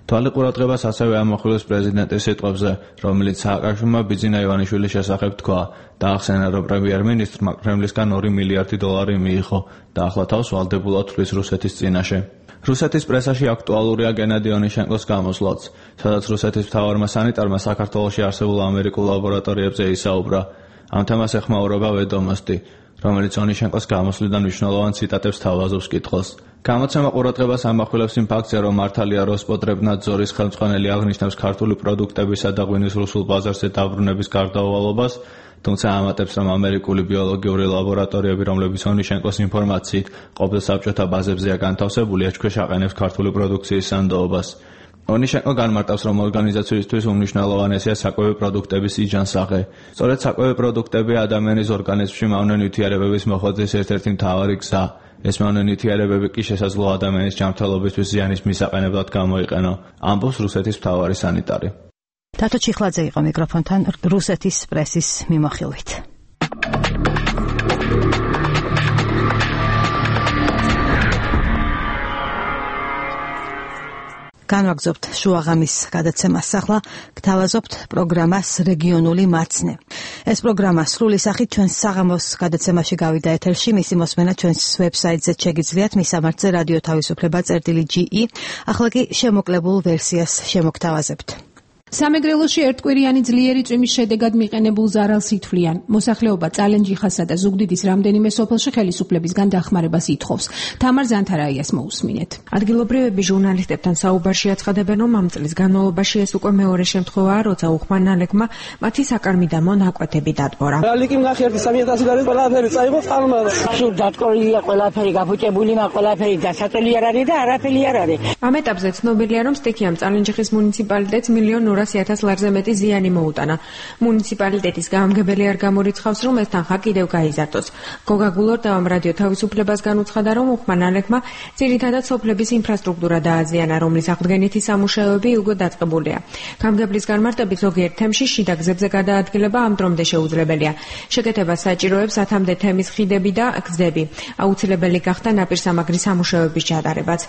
თვალი ყურადღებას ასევე ამახვილებს პრეზიდენტის სიტყვებზე, რომელიც სააკაშვილმა ბიძინა ივანიშვილის შესახებ თქვა და ახსენა, რომ პრემიერ-მინისტრმა კრემლისგან ორი მილიარდი დოლარი მიიღო და ახლა თავს ვალდებულად თვლის რუსეთის წინაშე. რუსეთის პრესაში აქტუალურია გენადი ონიშენკოს გამოსვლაც, სადაც რუსეთის მთავარმა სანიტარმა საქართველოში არსებულ ამერიკულ ლაბორატორიებზე ისაუბრა. ამ თემას ეხმაურება ვედომოსტი, რომელიც ონიშენკოს გამოსვლიდან მნიშვნელოვან ციტატებს თავაზობს კითხვას. გამოცემა ყურადღებას ამახვილებს იმ ფაქტზე, რომ მართალია როსპოტრებნადზორის ხელმძღვანელი აღნიშნავს ქართული პროდუქტებისა და ღვინის რუსულ ბაზარზე დაბრუნების გარდაუვალობას, თუმცა ამატებს, რომ ამერიკული ბიოლოგიური ლაბორატორიები, რომლებიც ონიშენკოს ინფორმაციით ყოფილ საბჭოთა ბაზებზეა განთავსებული, ეჭქვეშ აყენებს ქართული პროდუქციის სანდოობას. ონიშენკო განმარტავს, რომ ორგანიზაციისთვის უმნიშვნელოვანესია საკვები პროდუქტების იჯანსაღე. სწორედ საკვები პროდუქტები ადამიანის ორგანიზმში მავნე ნივთიერებების მოხვედრის ერთ-ერთი მთავარი გზა. ეს მავნე ნივთიერებები კი შესაძლოა ადამიანის ჯანმრთელობისთვის ზიანის მისაყენებლად გამოიყენო, ამბობს რუსეთის მთავარი სანიტარი. თათო ჩიხლაძე იყო მიკროფონთან რუსეთის პრესის მიმოხილვით. განვაგრძობთ შუაღამის გადაცემას. ახლა გთავაზობთ პროგრამას რეგიონული მაცნე. ეს პროგრამა სრული სახით ჩვენს საღამოს გადაცემაში გავიდა ეთერში. მისი მოსმენა ჩვენს ვებსაიტზე შეგიძლიათ, მისამართზე რადიო თავისუფლება წერტილი ჯი ი. ახლა კი შემოკლებულ ვერსიას შემოგთავაზებთ. სამეგრელოში ერთკვირიანი ძლიერი წვიმის შედეგად მიყენებულ ზარალს ითვლიან. მოსახლეობა წალენჯიხასა და ზუგდიდის რამდენიმე სოფელში ხელისუფლებისგან დახმარებას ითხოვს. თამარ ზანთარაიას მოусმინეთ. ადგილობრივები ჟურნალისტებთან საუბარში აცხადებენ, რომ ამ წლის განმავლობაში ეს უკვე მეორე შემთხვევაა, როცა უხმანალებმა მათი საკარმიდამო ნაკვეთები დატბორა. ალიკი ნახერდი სამი ათასი და ყველაფერი წაიღო წყალმა. სულ დატკორილია ყველაფერი, გაფუჭებული მა ყველაფერი დასაწოლი არ არის და არაფერი არ არის. ამ ეტაპზე ცნობილია, რომ სტიქიამ წალენჯიხის მუნიციპალიტეტს მილიონ ორასი ათას ლარზე მეტი ზიანი მოუტანა. მუნიციპალიტეტის გამგებელი არ გამორიცხავს, რომ ეს თანხა კიდევ გაიზარდოს. გოგა გულორდავამ რადიო თავისუფლებას განუცხადა, რომ უხმანალებმა ძირითადად სოფლების ინფრასტრუქტურა დააზიანა, რომლის აღდგენითი სამუშაოები უკვე დაწყებულია. გამგებლის განმარტებით ზოგიერთ თემში შიდა გზებზე გადაადგილება ამ დრომდე შეუძლებელია. შეკეთებას საჭიროებს ათამდე თემის ხიდები და გზები. აუცილებელი გახდა ნაპირსამაგრის სამუშაოების ჩატარებაც.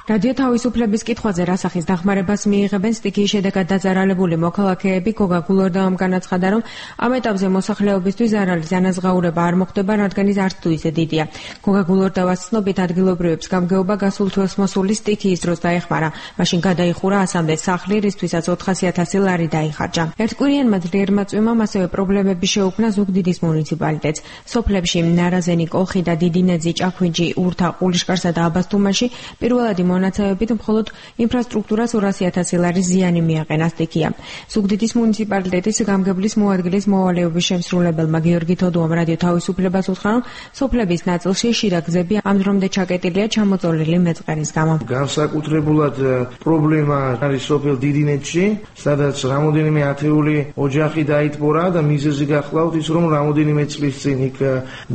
რადიო თავისუფლების კითხვაზე რასახის დახმარებას მიიღებენ სტიქიის შედეგად დაძარალებული მოქალაქეები, გოგა გულორდავამ განაცხადა, რომ ამ ეტაპზე მოსახლეობისთვის ზარალის ანაზღაურება არ მოხდება, რადგან ის არც თუ ისე დიდია. გოგა გულორდავას ცნობით ადგილობრივებს გამგეობა გასულ თვეს მოსული სტიქიის დროს დაეხმარა. მაშინ გადაიხურა ასამდე სახლი, რისთვისაც ოთხასი ათასი ლარი დაიხარჯა. ერთკვირიანმა ძლიერმა წვიმამ ასევე პრობლემები შეუქმნა ზუგდიდის მუნიციპალიტეტს. სოფლებში ნარაზენი, კოლხი და დიდინეძი, ჭაქვინჯი, ურთა, ყულიშკარსა და აბასთუმანში პირველადი მონაცემებით მხოლოდ ინფრასტრუქტურას ორასი ათასი ლარის ზიანი მიაყენა სტიქიამ. ზუგდიდის მუნიციპალიტეტის გამგებლის მოადგილის მოვალეობის შემსრულებელმა გიორგი თოდუამ რადიო თავისუფლებას უთხრა, რომ სოფლების ნაწილში შიდა გზები ამ დრომდე ჩაკეტილია ჩამოწოლილი მეწყერის გამო. განსაკუთრებულად პრობლემა არის სოფელ დიდინეთში, სადაც რამოდენიმე ათეული ოჯახი დაიტბორა და მიზეზი გახლავთ ის, რომ რამოდენიმე წლის წინ იქ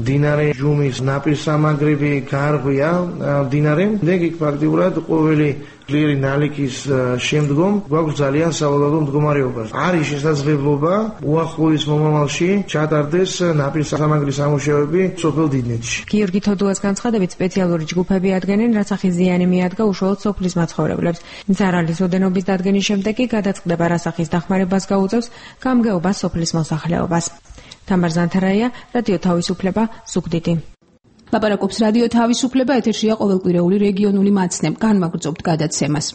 მდინარე ჯუმის ნაპირსამაგრები გარღვია მდინარე. ეგ იქ ფაქტიურად ზოგადად ყოველი ძლიერი ნალექის შემდგომ გვაქვს ძალიან სავალალო მდგომარეობა. არის შესაძლებლობა უახლოეს მომავალში ჩატარდეს ნაპირსამაგრის სამუშაოები სოფელ დიდნეთში. გიორგი თოდუას განცხადებით სპეციალური ჯგუფები ადგენენ, რაც ახის ზიანი მიადგა უშუალოდ სოფლის მაცხოვრებლებს. ზარალის ოდენობის დადგენის შემდეგ კი გადაწყდება, რაც ახის დახმარებას გაუწევს გამგეობა სოფლის მოსახლეობას. თამარ ზანთარაია, რადიო თავისუფლება, ზუგდიდი. ლაპარაკობს რადიო თავისუფლება, ეთერშია ყოველკვირეული რეგიონული მაცნე. განვაგრძობთ გადაცემას.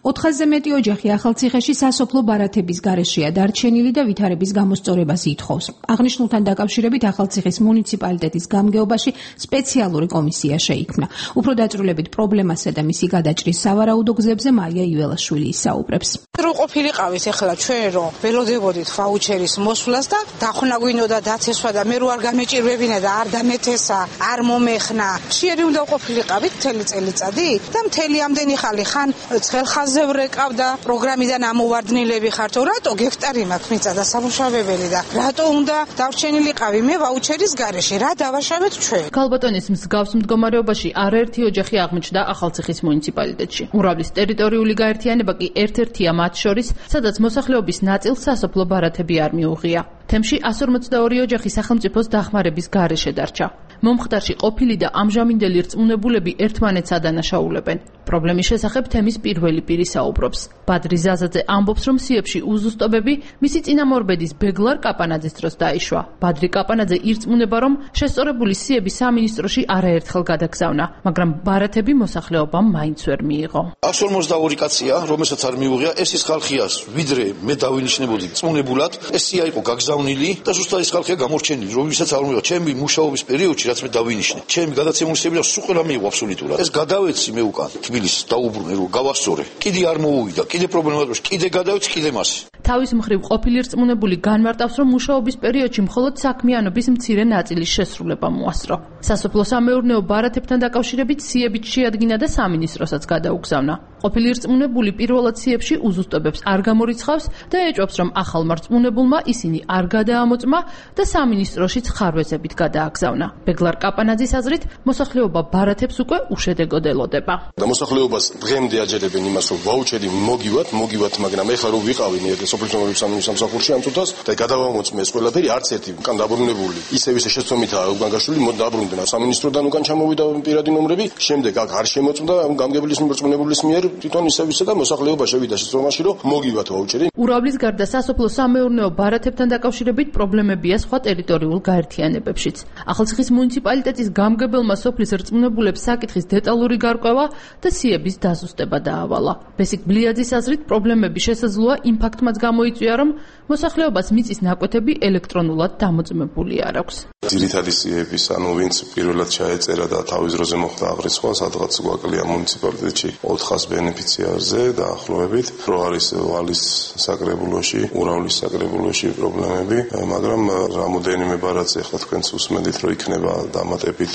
ოთხასზე მეტი ოჯახი ახალციხეში სასოფლო ბარათების გარეშეა დარჩენილი და ვითარების გამოსწორებას ითხოვს. აღნიშნულთან დაკავშირებით ახალციხის მუნიციპალიტეტის გამგეობაში სპეციალური კომისია შეიქმნა. უფრო დაწვრილებით პრობლემასა და მისი გადაჭრის სავარაუდო გზებზე მაია იველაშვილი ისაუბრებს. რო ყოფილიყავით ახლა ჩვენ რომ ველოდებოდით ვაუჩერის მოსვლას და დახვნაგვინოდა დაცესვა და მე რო არ გამეჭირვებინა და არ დამეთესა, არ მომეხნა. შეერი უნდა ყოფილიყავით მთელი წელიწადი და მთელი ამდენი ხალი ხან ცხელხაზ ვრეკავდა პროგრამიდან ამოვარდნილები ხართო რატო გექტარი მაქვს მიწა და სამუშავებელი და რატო უნდა დავრჩენილიყავი მე ვაუჩერის გარეშე რა დავაშავეთ ჩვენ ქალბატონის მსგავს მდგომარეობაში არაერთი ოჯახი აღმოჩნდა ახალციხის მუნიციპალიტეტში ურავლის ტერიტორიული გაერთიანება კი ერთ-ერთია მათ შორის სადაც მოსახლეობის ნაწილს სასოფლო ბარათები არ მიუღია თემში εκατს ორმოცდაორი ოჯახი სახელმწიფოს დახმარების გარეშე დარჩა მომხდარში ყოფილი და ამჟამინდელი რწმუნებულები ერთმანეთს ადანაშაულებენ. პრობლემის შესახებ თემის პირველი პირი საუბრობს. ბადრი ზაზაძე ამბობს, რომ სიებში უზუსტობები მისი წინამორბედის ბეგლარ კაპანაძის დროს დაიშვა. ბადრი კაპანაძე ირწმუნება, რომ შესწორებული სიები სამინისტროში არაერთხელ გადაგზავნა, მაგრამ ბარათები მოსახლეობამ მაინც ვერ მიიღო. εκατს ორმოცდაორი კაცია, რომელსაც არ მიუღია, ეს ის ხალხია, ვიდრე მე დავინიშნებოდი წმუნებულად, ეს სია იყო გაგზავნილი და ზუსტად ეს ხალხია გამორჩენილი, რომელსაც არ მიიღო. ჩემი მუშაობის პერიოდში რაც მე დავინიშნე. ჩემი გადაცემული სიები და სულ ყველა მიიღო აბსოლუტურად. ეს გადავეცი მე უკან თბილისს დაუბრუნე რომ გავასწორე. კიდე არ მოუვიდა, კიდე პრობლემაა, კიდე გადავეცი, კიდე მასე. თავის მხრივ ყოფილი რწმუნებული განმარტავს, რომ მუშაობის პერიოდში მხოლოდ საქმიანობის მცირე ნაწილის შესრულება მოასწრო. სასოფლო-სამეურნეო ბარათებთან დაკავშირებით სიებით შეადგინა და სამინისტროსაც გადაუგზავნა. ყოფილი რწმუნებული პირველად სიებში უზუსტობებს არ გამორიცხავს და ეჭვობს, რომ ახალმა რწმუნებულმა ისინი არ გადაამოწმა და სამინისტროშიც ხარვეზებით გადააგზავნა. ბეგლარ კაპანაძის აზრით, მოსახლეობა ბარათებს უკვე უშედეგოდ ელოდება. და მოსახლეობას დღემდე აჯერებენ იმას, რომ ვაუჩერი მოგივათ, მოგივათ, მაგრამ ეხლა რომ ვიყავი მე სოფლის სამსახურში ამ წუთას და გადავამოწმე ეს ყველაფერი არც ერთი უკან დაბრუნებული. ისევ ისე შეცდომითაა უკან გაშული, მოდ დაბრუნდნენ სამინისტროდან უკან ჩამოვიდა პირადი ნომრები, შემდეგ აქ არ შემოწმდა გამგებლის მორწმუნებლის მიერ თვითონ ისევ ისე და მოსახლეობა შევიდა შეცდომაში, რომ მოგივათ ვაუჩერი. ურავლის გარდა სასოფლო-სამეურნეო ბარათებთან დაკავშირებით პრობლემებია სხვა ტერიტორიულ გაერთიანებებშიც. ახალციხის მუნიციპალიტეტის გამგებელმა სოფლის რწმუნებულებს საკითხის დეტალური გარკვევა და სიების დაზუსტება დაავალა. ბესიკ ბლიაძის აზრით პრობლემები შესაძლოა იმ ფაქტმაც გამოიწვია, რომ მოსახლეობას მიწის ნაკვეთები ელექტრონულად დამოწმებული არ აქვს. ძირითადი სიების, ანუ ვინც პირველად ჩაეწერა და თავის დროზე მოხდა აღრიცხვა, სადღაც გვაკლია მუნიციპალიტეტში ოთხას ბენეფიციარზე დაახლოებით, რო არის ვალის საკრებულოში, ურავლის საკრებულოში პრობლემები, მაგრამ რამოდენიმე ბარათს ახლა თქვენც უსმენთ, რომ იქნება დამატებით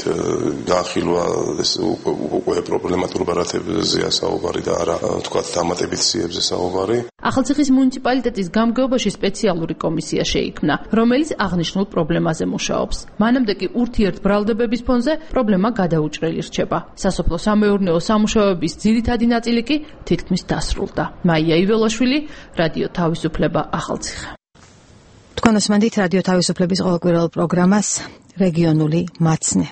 განხილვა ეს უკვე პრობლემატურ ბარათებზეა საუბარი და არა თქვათ დამატებით სიებზე საუბარი. ახალციხის მუნიციპალიტეტის გამგეობაში სპეციალური კომისია შეიქმნა, რომელიც აღნიშნულ პრობლემაზე მუშაობს. მანამდე კი ურთიერთბრალდებების ფონზე პრობლემა გადაუჭრელი რჩება. სასოფლო-სამეურნეო სამუშაოების ძირითადი ნაწილი კი თითქმის დასრულდა. მაია იველაშვილი, რადიო თავისუფლება, ახალციხე. თქვენ უსმენთ რადიო თავისუფლების ყოველკვირეულ პროგრამას რეგიონული მაცნე.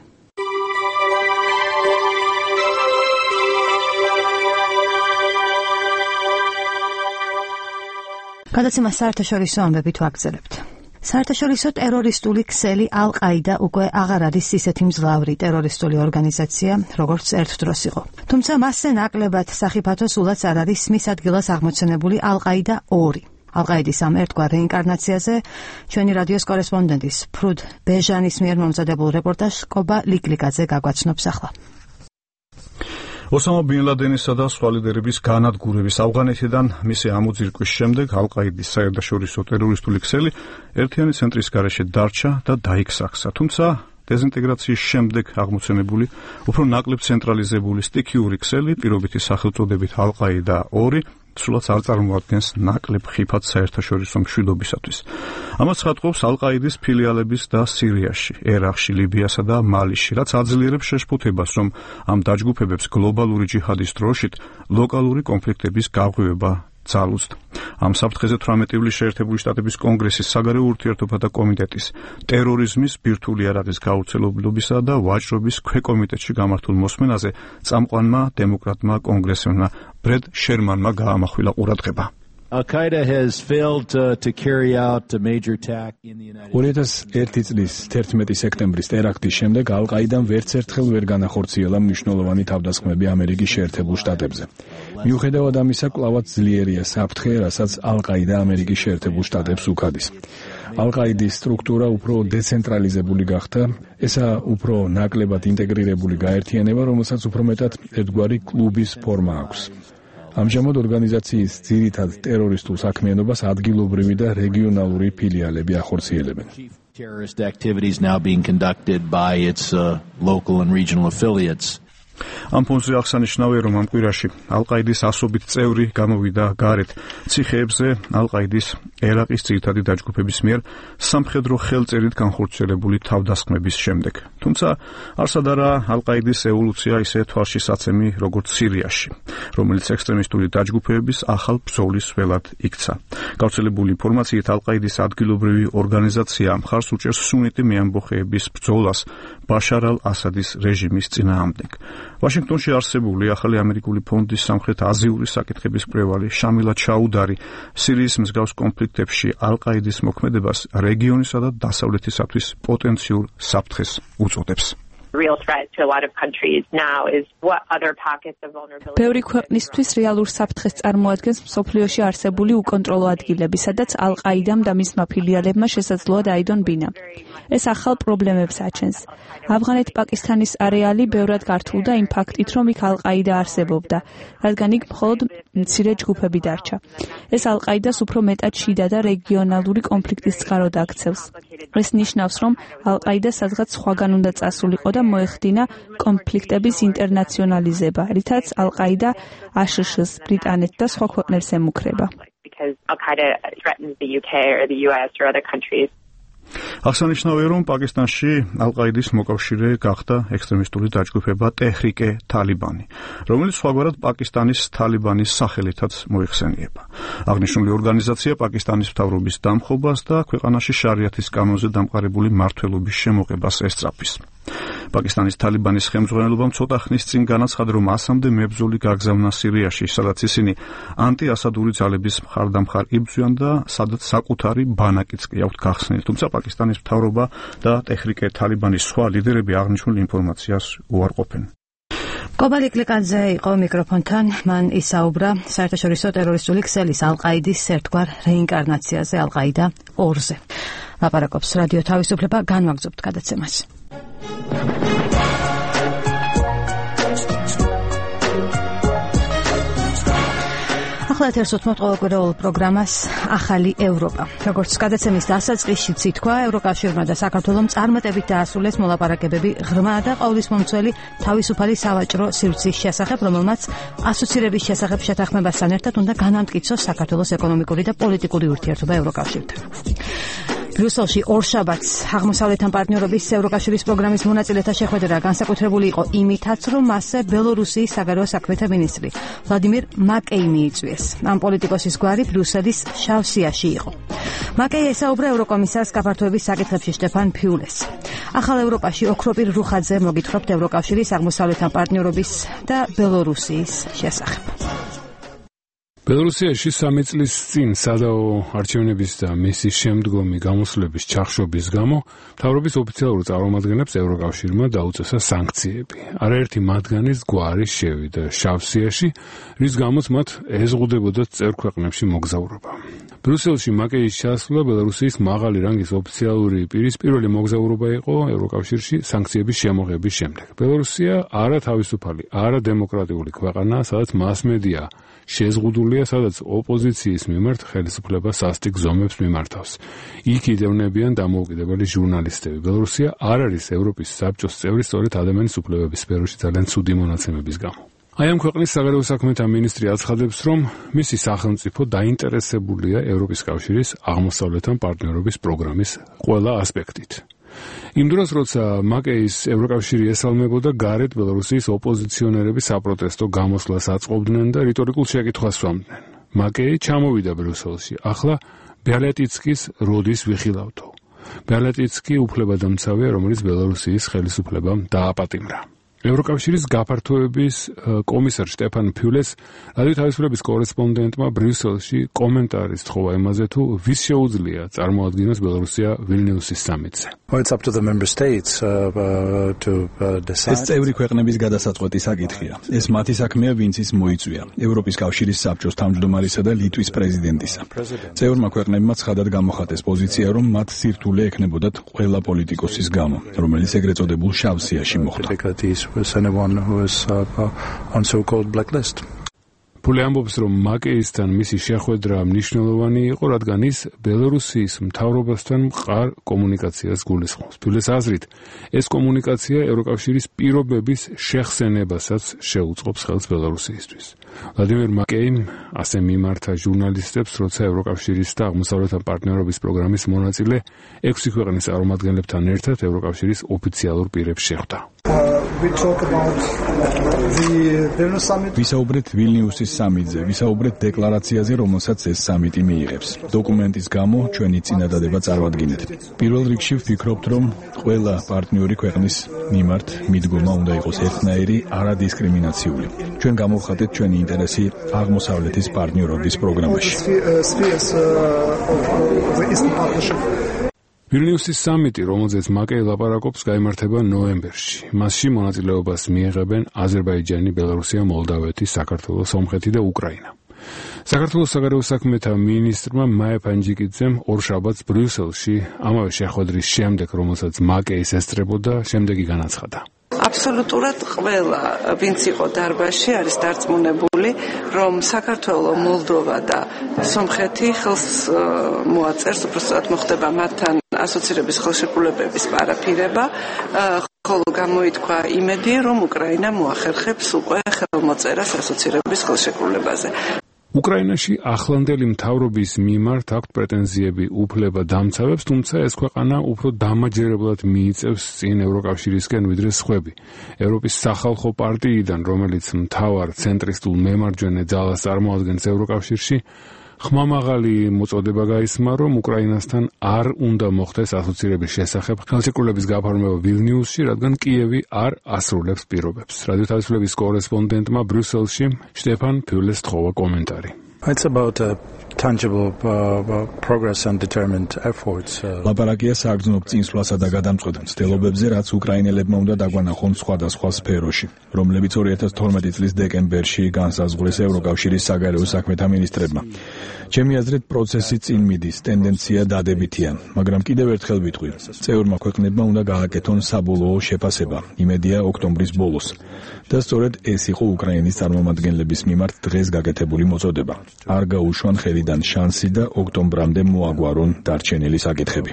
გადაცემა საერთაშორისო ამბებით ვაგრძელებთ. საერთაშორისო ტერორისტული ქსელი ალ-ყაიდა უკვე აღარ არის ისეთი მძლავრი ტერორისტული ორგანიზაცია, როგორც ერთ დროს იყო. თუმცა მასზე ნაკლებად სახიფათო სულაც არ არის მის ადგილას აღმოცენებული ალ-ყაიდა ორი. ალ-ყაიდის ამ ერთგვარ რეინკარნაციაზე ჩვენი რადიოს კორესპონდენტის ფრუდ ბეჟანის მიერ მომზადებულ რეპორტაჟს კობა ლიკლიკაძე გაგვაცნობს ახლა. ოსამა ბინ ლადენისა და სხვა ლიდერების განადგურების ავღანეთიდან მისი ამოძირკვის შემდეგ ალ-ყაიდის საერთაშორისო ტერორისტული ქსელი ერთიანი ცენტრის გარეშე დარჩა და დაიქსახსა. თუმცა დეზინტეგრაციის შემდეგ აღმოცენებული უფრო ნაკლებ ცენტრალიზებული სტიქიური ქსელი პირობითი სახელწოდებით ალ-ყაიდა ორი სულაც არ წარმოადგენს ნაკლებ ხიფად საერთაშორისო მშვიდობისათვის. ამას ცხადყოფს ალ-ყაიდის ფილიალების და სირიაში, ერაყში, ლიბიასა და მალიში, რაც აძლიერებს შეშფოთებას, რომ ამ დაჯგუფებებს გლობალური ჯიჰადის დროშით ლოკალური კონფლიქტების გაღვივება ძალუძდა. ამ საფრთხეზე თვრამეტი ივლისს შეერთებული შტატების კონგრესის საგარეო ურთიერთობათა კომიტეტის ტერორიზმის ბირთვული არადის გავრცელებლობისა და ვაჭრობის ქვეკომიტეტში გამართულ მოსმენაზე წამყვანმა დემოკრატმა კონგრესმენმა ბრედ შერმანმა გაამახვილა ყურადღება. Al-Qaeda has failed to, to carry out a major attack in the United States. ორი ათას ერთი წლის თერთმეტი სექტემბრის ტერაქტის შემდეგ ალ-ყაიდამ ვერც ერთხელ ვერ განახორციელა მნიშვნელოვანი თავდასხმები ამერიკის შეერთებულ შტატებზე. მიუხედავად ამისა, კვლავაც ძლიერია საფრთხე, რასაც ალ-ყაიდა ამერიკის შეერთებულ შტატებს უქადის. ალ-ყაიდის სტრუქტურა უფრო დეცენტრალიზებული გახდა, ესა უფრო ნაკლებად ინტეგრირებული გაერთიანება, რომელსაც უფრო მეტად ერთგვარი კლუბის ფორმა აქვს. ამჟამად ორგანიზაციის ძირითად ტერორისტულ საქმიანობას ადგილობრივი და რეგიონალური ფილიალები ახორციელებენ. Terrorist activities now being conducted by its uh, local and regional affiliates. ამ ფონზე აღსანიშნავია, რომ ამ კვირაში ალ-ყაიდის ასობით წევრი გამოვიდა გარეთ ციხეებზე ალ-ყაიდის ერაყის ძირითადი დაჯგუფების მიერ სამხედრო ხელწერით განხორციელებული თავდასხმების შემდეგ. თუმცა არსად არა ალ-ყაიდის ევოლუცია ისე თვალშისაცემი, როგორც სირიაში, რომელიც ექსტრემისტული დაჯგუფების ახალ ბრძოლის ველად იქცა. გავრცელებული ინფორმაციით ალ-ყაიდის ადგილობრივი ორგანიზაცია მხარს უჭერს სუნიტი მეამბოხეების ბრძოლას ბაშარ ალ-ასადის რეჟიმის წინააღმდეგ. ვაშინგტონში არსებული ახალი ამერიკული ფონდის სამხრეთ აზიური საკითხების მკვლევარი შამილა ჩაუდარი სირიის მსგავს კონფლიქტებში ალ-ყაიდის მოქმედებას რეგიონისა და დასავლეთისათვის პოტენციურ საფრთხეს უწოდებს. real threat to a lot of countries now is what other pockets of vulnerability. ბევრი ქვეყნისთვის რეალურ საფრთხეს წარმოადგენს მსოფლიოში არსებული უკონტროლო ადგილები, სადაც ალ-ყაიდამ და მისმა ფილიალებმა შესაძლოა დაიდონ ბინა. ეს ახალ პრობლემებს აჩენს. ავღანეთ-პაკისტანის არეალი ბევრად გართულდა იმ ფაქტით, რომ იქ ალ-ყაიდა არსებობდა, რადგან იქ მხოლოდ მცირე ჯგუფები დარჩა. ეს ალ-ყაიდას უფრო მეტად შიდა და რეგიონალური კონფლიქტის წყაროდ აქცევს. ეს ნიშნავს, რომ ალ-ყაიდა სადღაც სხვაგან უნდა წასულიყო და მოეხდინა კონფლიქტების ინტერნაციონალიზება, რითაც ალ-ყაიდა აშშ-ს, ბრიტანეთს და სხვა ქვეყნებს ემუქრება. Because Al-Qaeda threatens the U K or the U S or other countries. აღსანიშნავია, რომ პაკისტანში ალ-ყაიდის მოკავშირე გახდა ექსტრემისტული დაჯგუფება ტეჰრიკე თალიბანი, რომელიც სხვაგვარად პაკისტანის თალიბანის სახელითაც მოიხსენიება. აღნიშნული ორგანიზაცია პაკისტანის მთავრობის დამხობას და ქვეყანაში შარიათის კანონზე დამყარებული მმართველობის შემოღებას ესწრაფის. პაკისტანის თალიბანის ხელმძღვანელობამ ცოტა ხნის წინ განაცხადა, რომ ასამდე მებრძოლი გაგზავნა სირიაში, სადაც ისინი ანტიასადური ძალების მხარდამხარ იბრძვიან და სადაც საკუთარი ბანაკიც კი აქვთ გახსნილი. თუმცა პაკისტანის მთავრობა და ტეჰრიკე თალიბანის სხვა ლიდერები აღნიშნულ ინფორმაციას უარყოფენ. კობალი კლიკაძე იყო მიკროფონთან, მან ისაუბრა საერთაშორისო ტერორისტული ქსელის ალ-ყაიდის ერთგვარ რეინკარნაციაზე, ალ-ყაიდა ორზე. ლაპარაკობს რადიო თავისუფლება, განვაგრძობთ გადაცემას. ახლა ეთერს უთმობთ ყოველკვირეულ პროგრამას ახალი ევროპა. როგორც გადაცემის დასაწყისშიც ითქვა, ევროკავშირმა და საქართველომ წარმატებით დაასრულეს მოლაპარაკებები ღრმა და ყოვლისმომცველი თავისუფალი სავაჭრო სივრცის შესახებ, რომელმაც ასოცირების შესახებ შეთანხმებასთან ერთად უნდა განამტკიცოს საქართველოს ეკონომიკური და პოლიტიკური ურთიერთობა ევროკავშირთან. ბრიუსელში ორშაბათს აღმოსავლეთთან პარტნიორობის ევროკავშირის პროგრამის მონაწილეთა შეხვედრა განსაკუთრებული იყო იმითაც, რომ მასზე ბელორუსიის საგარეო საქმეთა მინისტრი ვლადიმირ მაკეი მიიწვიეს. ამ პოლიტიკოსის გვარი ბრიუსელის შავსიაში იყო. მაკეი ესაუბრა ევროკომისარს გაფართოების საკითხებში შტეფან ფიულეს. ახალ ევროპაში ოქროპირ რუხაძე მოგითხრობთ ევროკავშირის აღმოსავლეთთან პარტნიორობის და ბელორუსიის შესახებ. ბელორუსიაში სამი წლის წინ სადაო არჩევნების და მისის შემდგომი გამოსვლების ჩახშობის გამო მთავრობის ოფიციალურ წარმომადგენლებს ევროკავშირმა დაუწესა სანქციები. არაერთი მათგანის გვარი შევიდა შავსიაში, რის გამოც მათ ეზღუდებოდათ წევრ ქვეყნებში მოგზაურობა. ბრიუსელში მაკეის ჩასვლა ბელორუსიის მაღალი რანგის ოფიციალური პირის პირველი მოგზაურობა იყო ევროკავშირში სანქციების შემოღების შემდეგ. ბელორუსია არა თავისუფალი, არა დემოკრატიული ქვეყანაა, სადაც მასმედია შეზღუდულია, სადაც ოპოზიციის მიმართ ხელისუფლება სასტიკ ზომებს მიმართავს. იქ იდევნებიან დამოუკიდებელი ჟურნალისტები. ბელორუსია არ არის ევროპის საბჭოს წევრი სწორედ ადამიანის უფლებების სფეროში ძალიან ცუდი მონაცემების გამო. აი ამ ქვეყნის საგარეო საქმეთა მინისტრი აცხადებს, რომ მისი სახელმწიფო დაინტერესებულია ევროპის კავშირის აღმოსავლეთთან პარტნიორობის პროგრამის ყველა ასპექტით. იმ დროს, როცა მაკეის ევროკავშირი ესალმებოდა, გარეთ ბელარუსის ოპოზიციონერები საპროტესტო გამოსვლას აწყობდნენ და რიტორიკულ შეკითხვას სვამდნენ. მაკეი ჩამოვიდა ბრიუსელში. ახლა ბიალეტიცკის როდის ვიხილავთო. ბიალეტიცკი უფლებადამცავია, რომელიც ბელარუსის ხელისუფლებამ დააპატიმრა. ევროკავშირის გაფართოების კომისარ შტეფან ფიულეს რადიო თავისუფლების კორესპონდენტმა ბრიუსელში კომენტარის თხოვა იმაზე, თუ ვის შეუძლია წარმოადგენოს ბელარუსია ვილნიუსის სამიტზე. ეს წევრი ქვეყნების გადასაწყვეტი საკითხია. ეს მათი საქმეა, ვინც ის მოიწვია. ევროპის კავშირის საბჭოს თავმჯდომარისა და ლიტვის პრეზიდენტისა. წევრმა ქვეყნებმა ცხადად გამოხატეს პოზიცია, რომ მათ სირთულე ექნებოდათ ყველა პოლიტიკოსის გამო, რომელიც ეგრეთ წოდებულ შავ სიაში მოხვდა. was anyone who was uh, on so-called blacklist. ფულე ამბობს, რომ მაკეისთან მისი შეხვედრა მნიშვნელოვანი იყო, რადგან ის ბელარუსის მთავრობასთან მყარ კომუნიკაციას გულისხმობს. ფულეს აზრით, ეს კომუნიკაცია ევროკავშირის პირობების შეხსენებასაც შეუწყობს ხელს ბელარუსისთვის. ვლადიმერ მაკეიმ ასე მიმართა ჟურნალისტებს, როცა ევროკავშირის და აღმოსავლეთთან პარტნიორობის პროგრამის მონაწილე ექვსი ქვეყნის წარმომადგენლებთან ერთად ევროკავშირის ოფიციალურ პირებს შეხვდა. ვისაუბრეთ ვილნიუსის სამიტზე, ვისაუბრეთ დეკლარაციაზე, რომელსაც ეს სამიტი მიიღებს. დოკუმენტის გამო ჩვენი წინადადება წარმოადგინეთ. პირველ რიგში ვფიქრობთ, რომ ყველა პარტნიორი ქვეყნის მიმართ მიდგომა უნდა იყოს ერთნაირი, არადისკრიმინაციული. ჩვენ გამოვხატეთ ჩვენი ინტერესი აღმოსავლეთის პარტნიორობის პროგრამაში. ვილნიუსის სამიტი, რომელზეც მაკეი ლაპარაკობს, გაიმართება ნოემბერში. მასში მონაწილეობას მიიღებენ აზერბაიჯანი, ბელარუსია, მოლდავეთი, საქართველო, სომხეთი და უკრაინა. საქართველოს საგარეო საქმეთა მინისტრმა მაია პანჯიკიძემ ორშაბათს ბრიუსელში ამავე შეხვედრის შემდეგ, რომელსაც მაკეის ესწრებოდა, შემდეგი განაცხადა. აბსოლუტურად ყველა, ვინც იყო დარბაზში, არის დარწმუნებული, რომ საქართველო, მოლდოვა და სომხეთი ხელს მოაწერს, უბრალოდ მოხდება მათთან ასოცირების ხელშეკრულებების პარაფირება, ხოლო გამოითქვა იმედი, რომ უკრაინა მოახერხებს უკვე ხელმოწერას ასოცირების ხელშეკრულებაზე. უკრაინაში ახლანდელი მთავრობის მიმართ აქვთ პრეტენზიები უფლება დამცავებს, თუმცა ეს ქვეყანა უფრო დამაჯერებლად მიიწევს წინ ევროკავშირისკენ ვიდრე სხვები. ევროპის სახალხო პარტიიდან, რომელიც მთავარ ცენტრისტულ მემარჯვენე ძალას წარმოადგენს ევროკავშირში, ხმამაღალი მოწოდება გაისმა, რომ უკრაინასთან არ უნდა მოხდეს ასოცირების შესახებ ხელშეკრულების გაფორმება ვილნიუსში, რადგან კიევი არ ასრულებს პირობებს. რადიო თავისუფლების კორესპონდენტმა ბრიუსელში შტეფან ფიულეს თხოვა კომენტარი. It's about a tangible uh, progress and determined efforts. ლაპარაკია საგრძნობ წინსვლასა და გადამწყვეტ მცდელობებზე, რაც უკრაინელებმა უნდა დაგვანახონ სხვადასხვა სფეროში, რომლებიც ორი ათას თორმეტი წლის დეკემბერში განსაზღვრეს ევროკავშირის საგარეო საქმეთა მინისტრებმა. ჩემი აზრით, პროცესი წინ მიდის, ტენდენცია დადებითია, მაგრამ კიდევ ერთხელ ვიტყვი, წევრმა ქვეყნებმა უნდა გააკეთონ საბოლოო შეფასება, იმედია ოქტომბრის ბოლოს. და სწორედ ეს იყო უკრაინის წარმომადგენლების მიმართ დღეს გაკეთებული მოწოდება. არ გაუშვან ხელიდან შანსი და ოქტომბრამდე მოაგვარონ დარჩენილი საკითხები.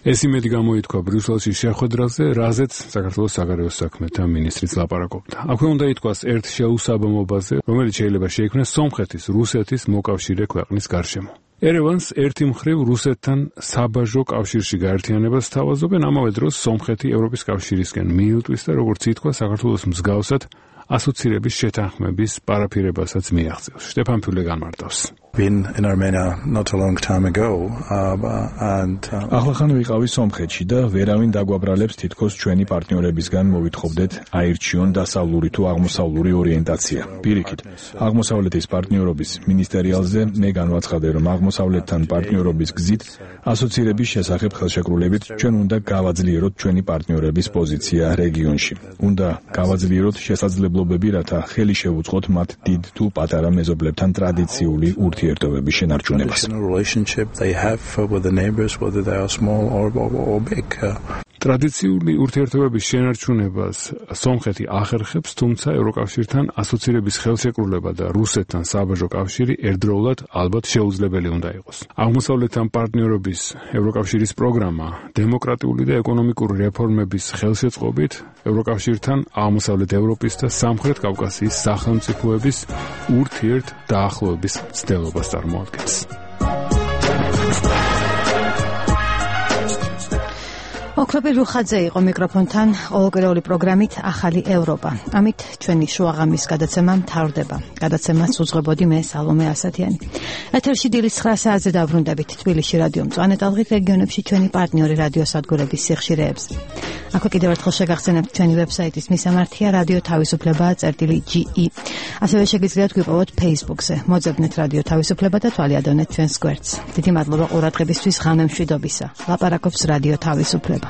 ეს იმედი გამოითქვა ბრიუსელში შეხვედრაზე, რაზეც საქართველოს საგარეო საქმეთა მინისტრიც ლაპარაკობდა. აქვე უნდა ითქვას ერთ შეუსაბამობაზე, რომელიც შეიძლება შეიქმნას სომხეთის, რუსეთის მოკავშირე ქვეყნის გარშემო. ერევანს ერთი მხრივ რუსეთთან საბაჟო კავშირში გაერთიანებას სთავაზობენ, ამავე დროს სომხეთი ევროპის კავშირისკენ მიილტვის და როგორც ითქვა, საქართველოს მსგავსად ასოცირების შეთანხმების პარაფირებასაც მიაღწევს. შტეფან ფიულე განმარტავს. been in Armenia not a long time ago uh, and ახლახან ვიყავი სომხეთში და ვერავინ დაგვაბრალებს თითქოს ჩვენი პარტნიორებისგან მოვითხოვდეთ აირჩიონ დასავლური თუ აღმოსავლური ორიენტაცია. პირიქით, აღმოსავლეთის პარტნიორობის მინისტერიალზე მე განვაცხადე, რომ აღმოსავლეთთან პარტნიორობის გზით ასოცირების შესახებ ხელშეკრულებით ჩვენ უნდა გავაძლიეროთ ჩვენი პარტნიორების პოზიცია რეგიონში. უნდა გავაძლიეროთ შესაძლებლობები, რათა ხელი შევუწყოთ მათ დიდ თუ პატარა მეზობლებთან ტრადიციული ურთიერთობების relationship they have with the neighbors, whether they are small or, or, or big. ტრადიციული ურთიერთობების შენარჩუნებას სომხეთი ახერხებს, თუმცა ევროკავშირთან ასოცირების ხელშეკრულება და რუსეთთან საბაჟო კავშირი ერთდროულად ალბათ შეუძლებელი უნდა იყოს. აღმოსავლეთთან პარტნიორობის ევროკავშირის პროგრამა დემოკრატიული და ეკონომიკური რეფორმების ხელშეწყობით ევროკავშირთან აღმოსავლეთ ევროპის და სამხრეთ კავკასიის სახელმწიფოების ურთიერთ დაახლოების მცდელობას წარმოადგენს. ოქროპი რუხაძე იყო მიკროფონთან ყოველკვირეული პროგრამით ახალი ევროპა. ამით ჩვენი შუაღამის გადაცემა მთავრდება. გადაცემას უძღვებოდი მე სალომე ასათიანი. ეთერში დილის ცხრა საათზე დაბრუნდებით თბილისში რადიო მწვანე ტალღით რეგიონებში ჩვენი პარტნიორი რადიოსადგურების სიხშირეებზე. აქვე კიდევ ერთხელ შეგახსენებთ ჩვენი ვებსაიტის მისამართია რადიო თავისუფლება წერტილი ჯი ი. ასევე შეგიძლიათ გვიპოვოთ Facebook-ზე. მოძებნეთ რადიო თავისუფლება და თვალიადონეთ ჩვენს გვერდს. დიდი მადლობა ყურადღებისთვის ღამე მშვიდობისა. ლაპარაკობს რადიო თავისუფლება.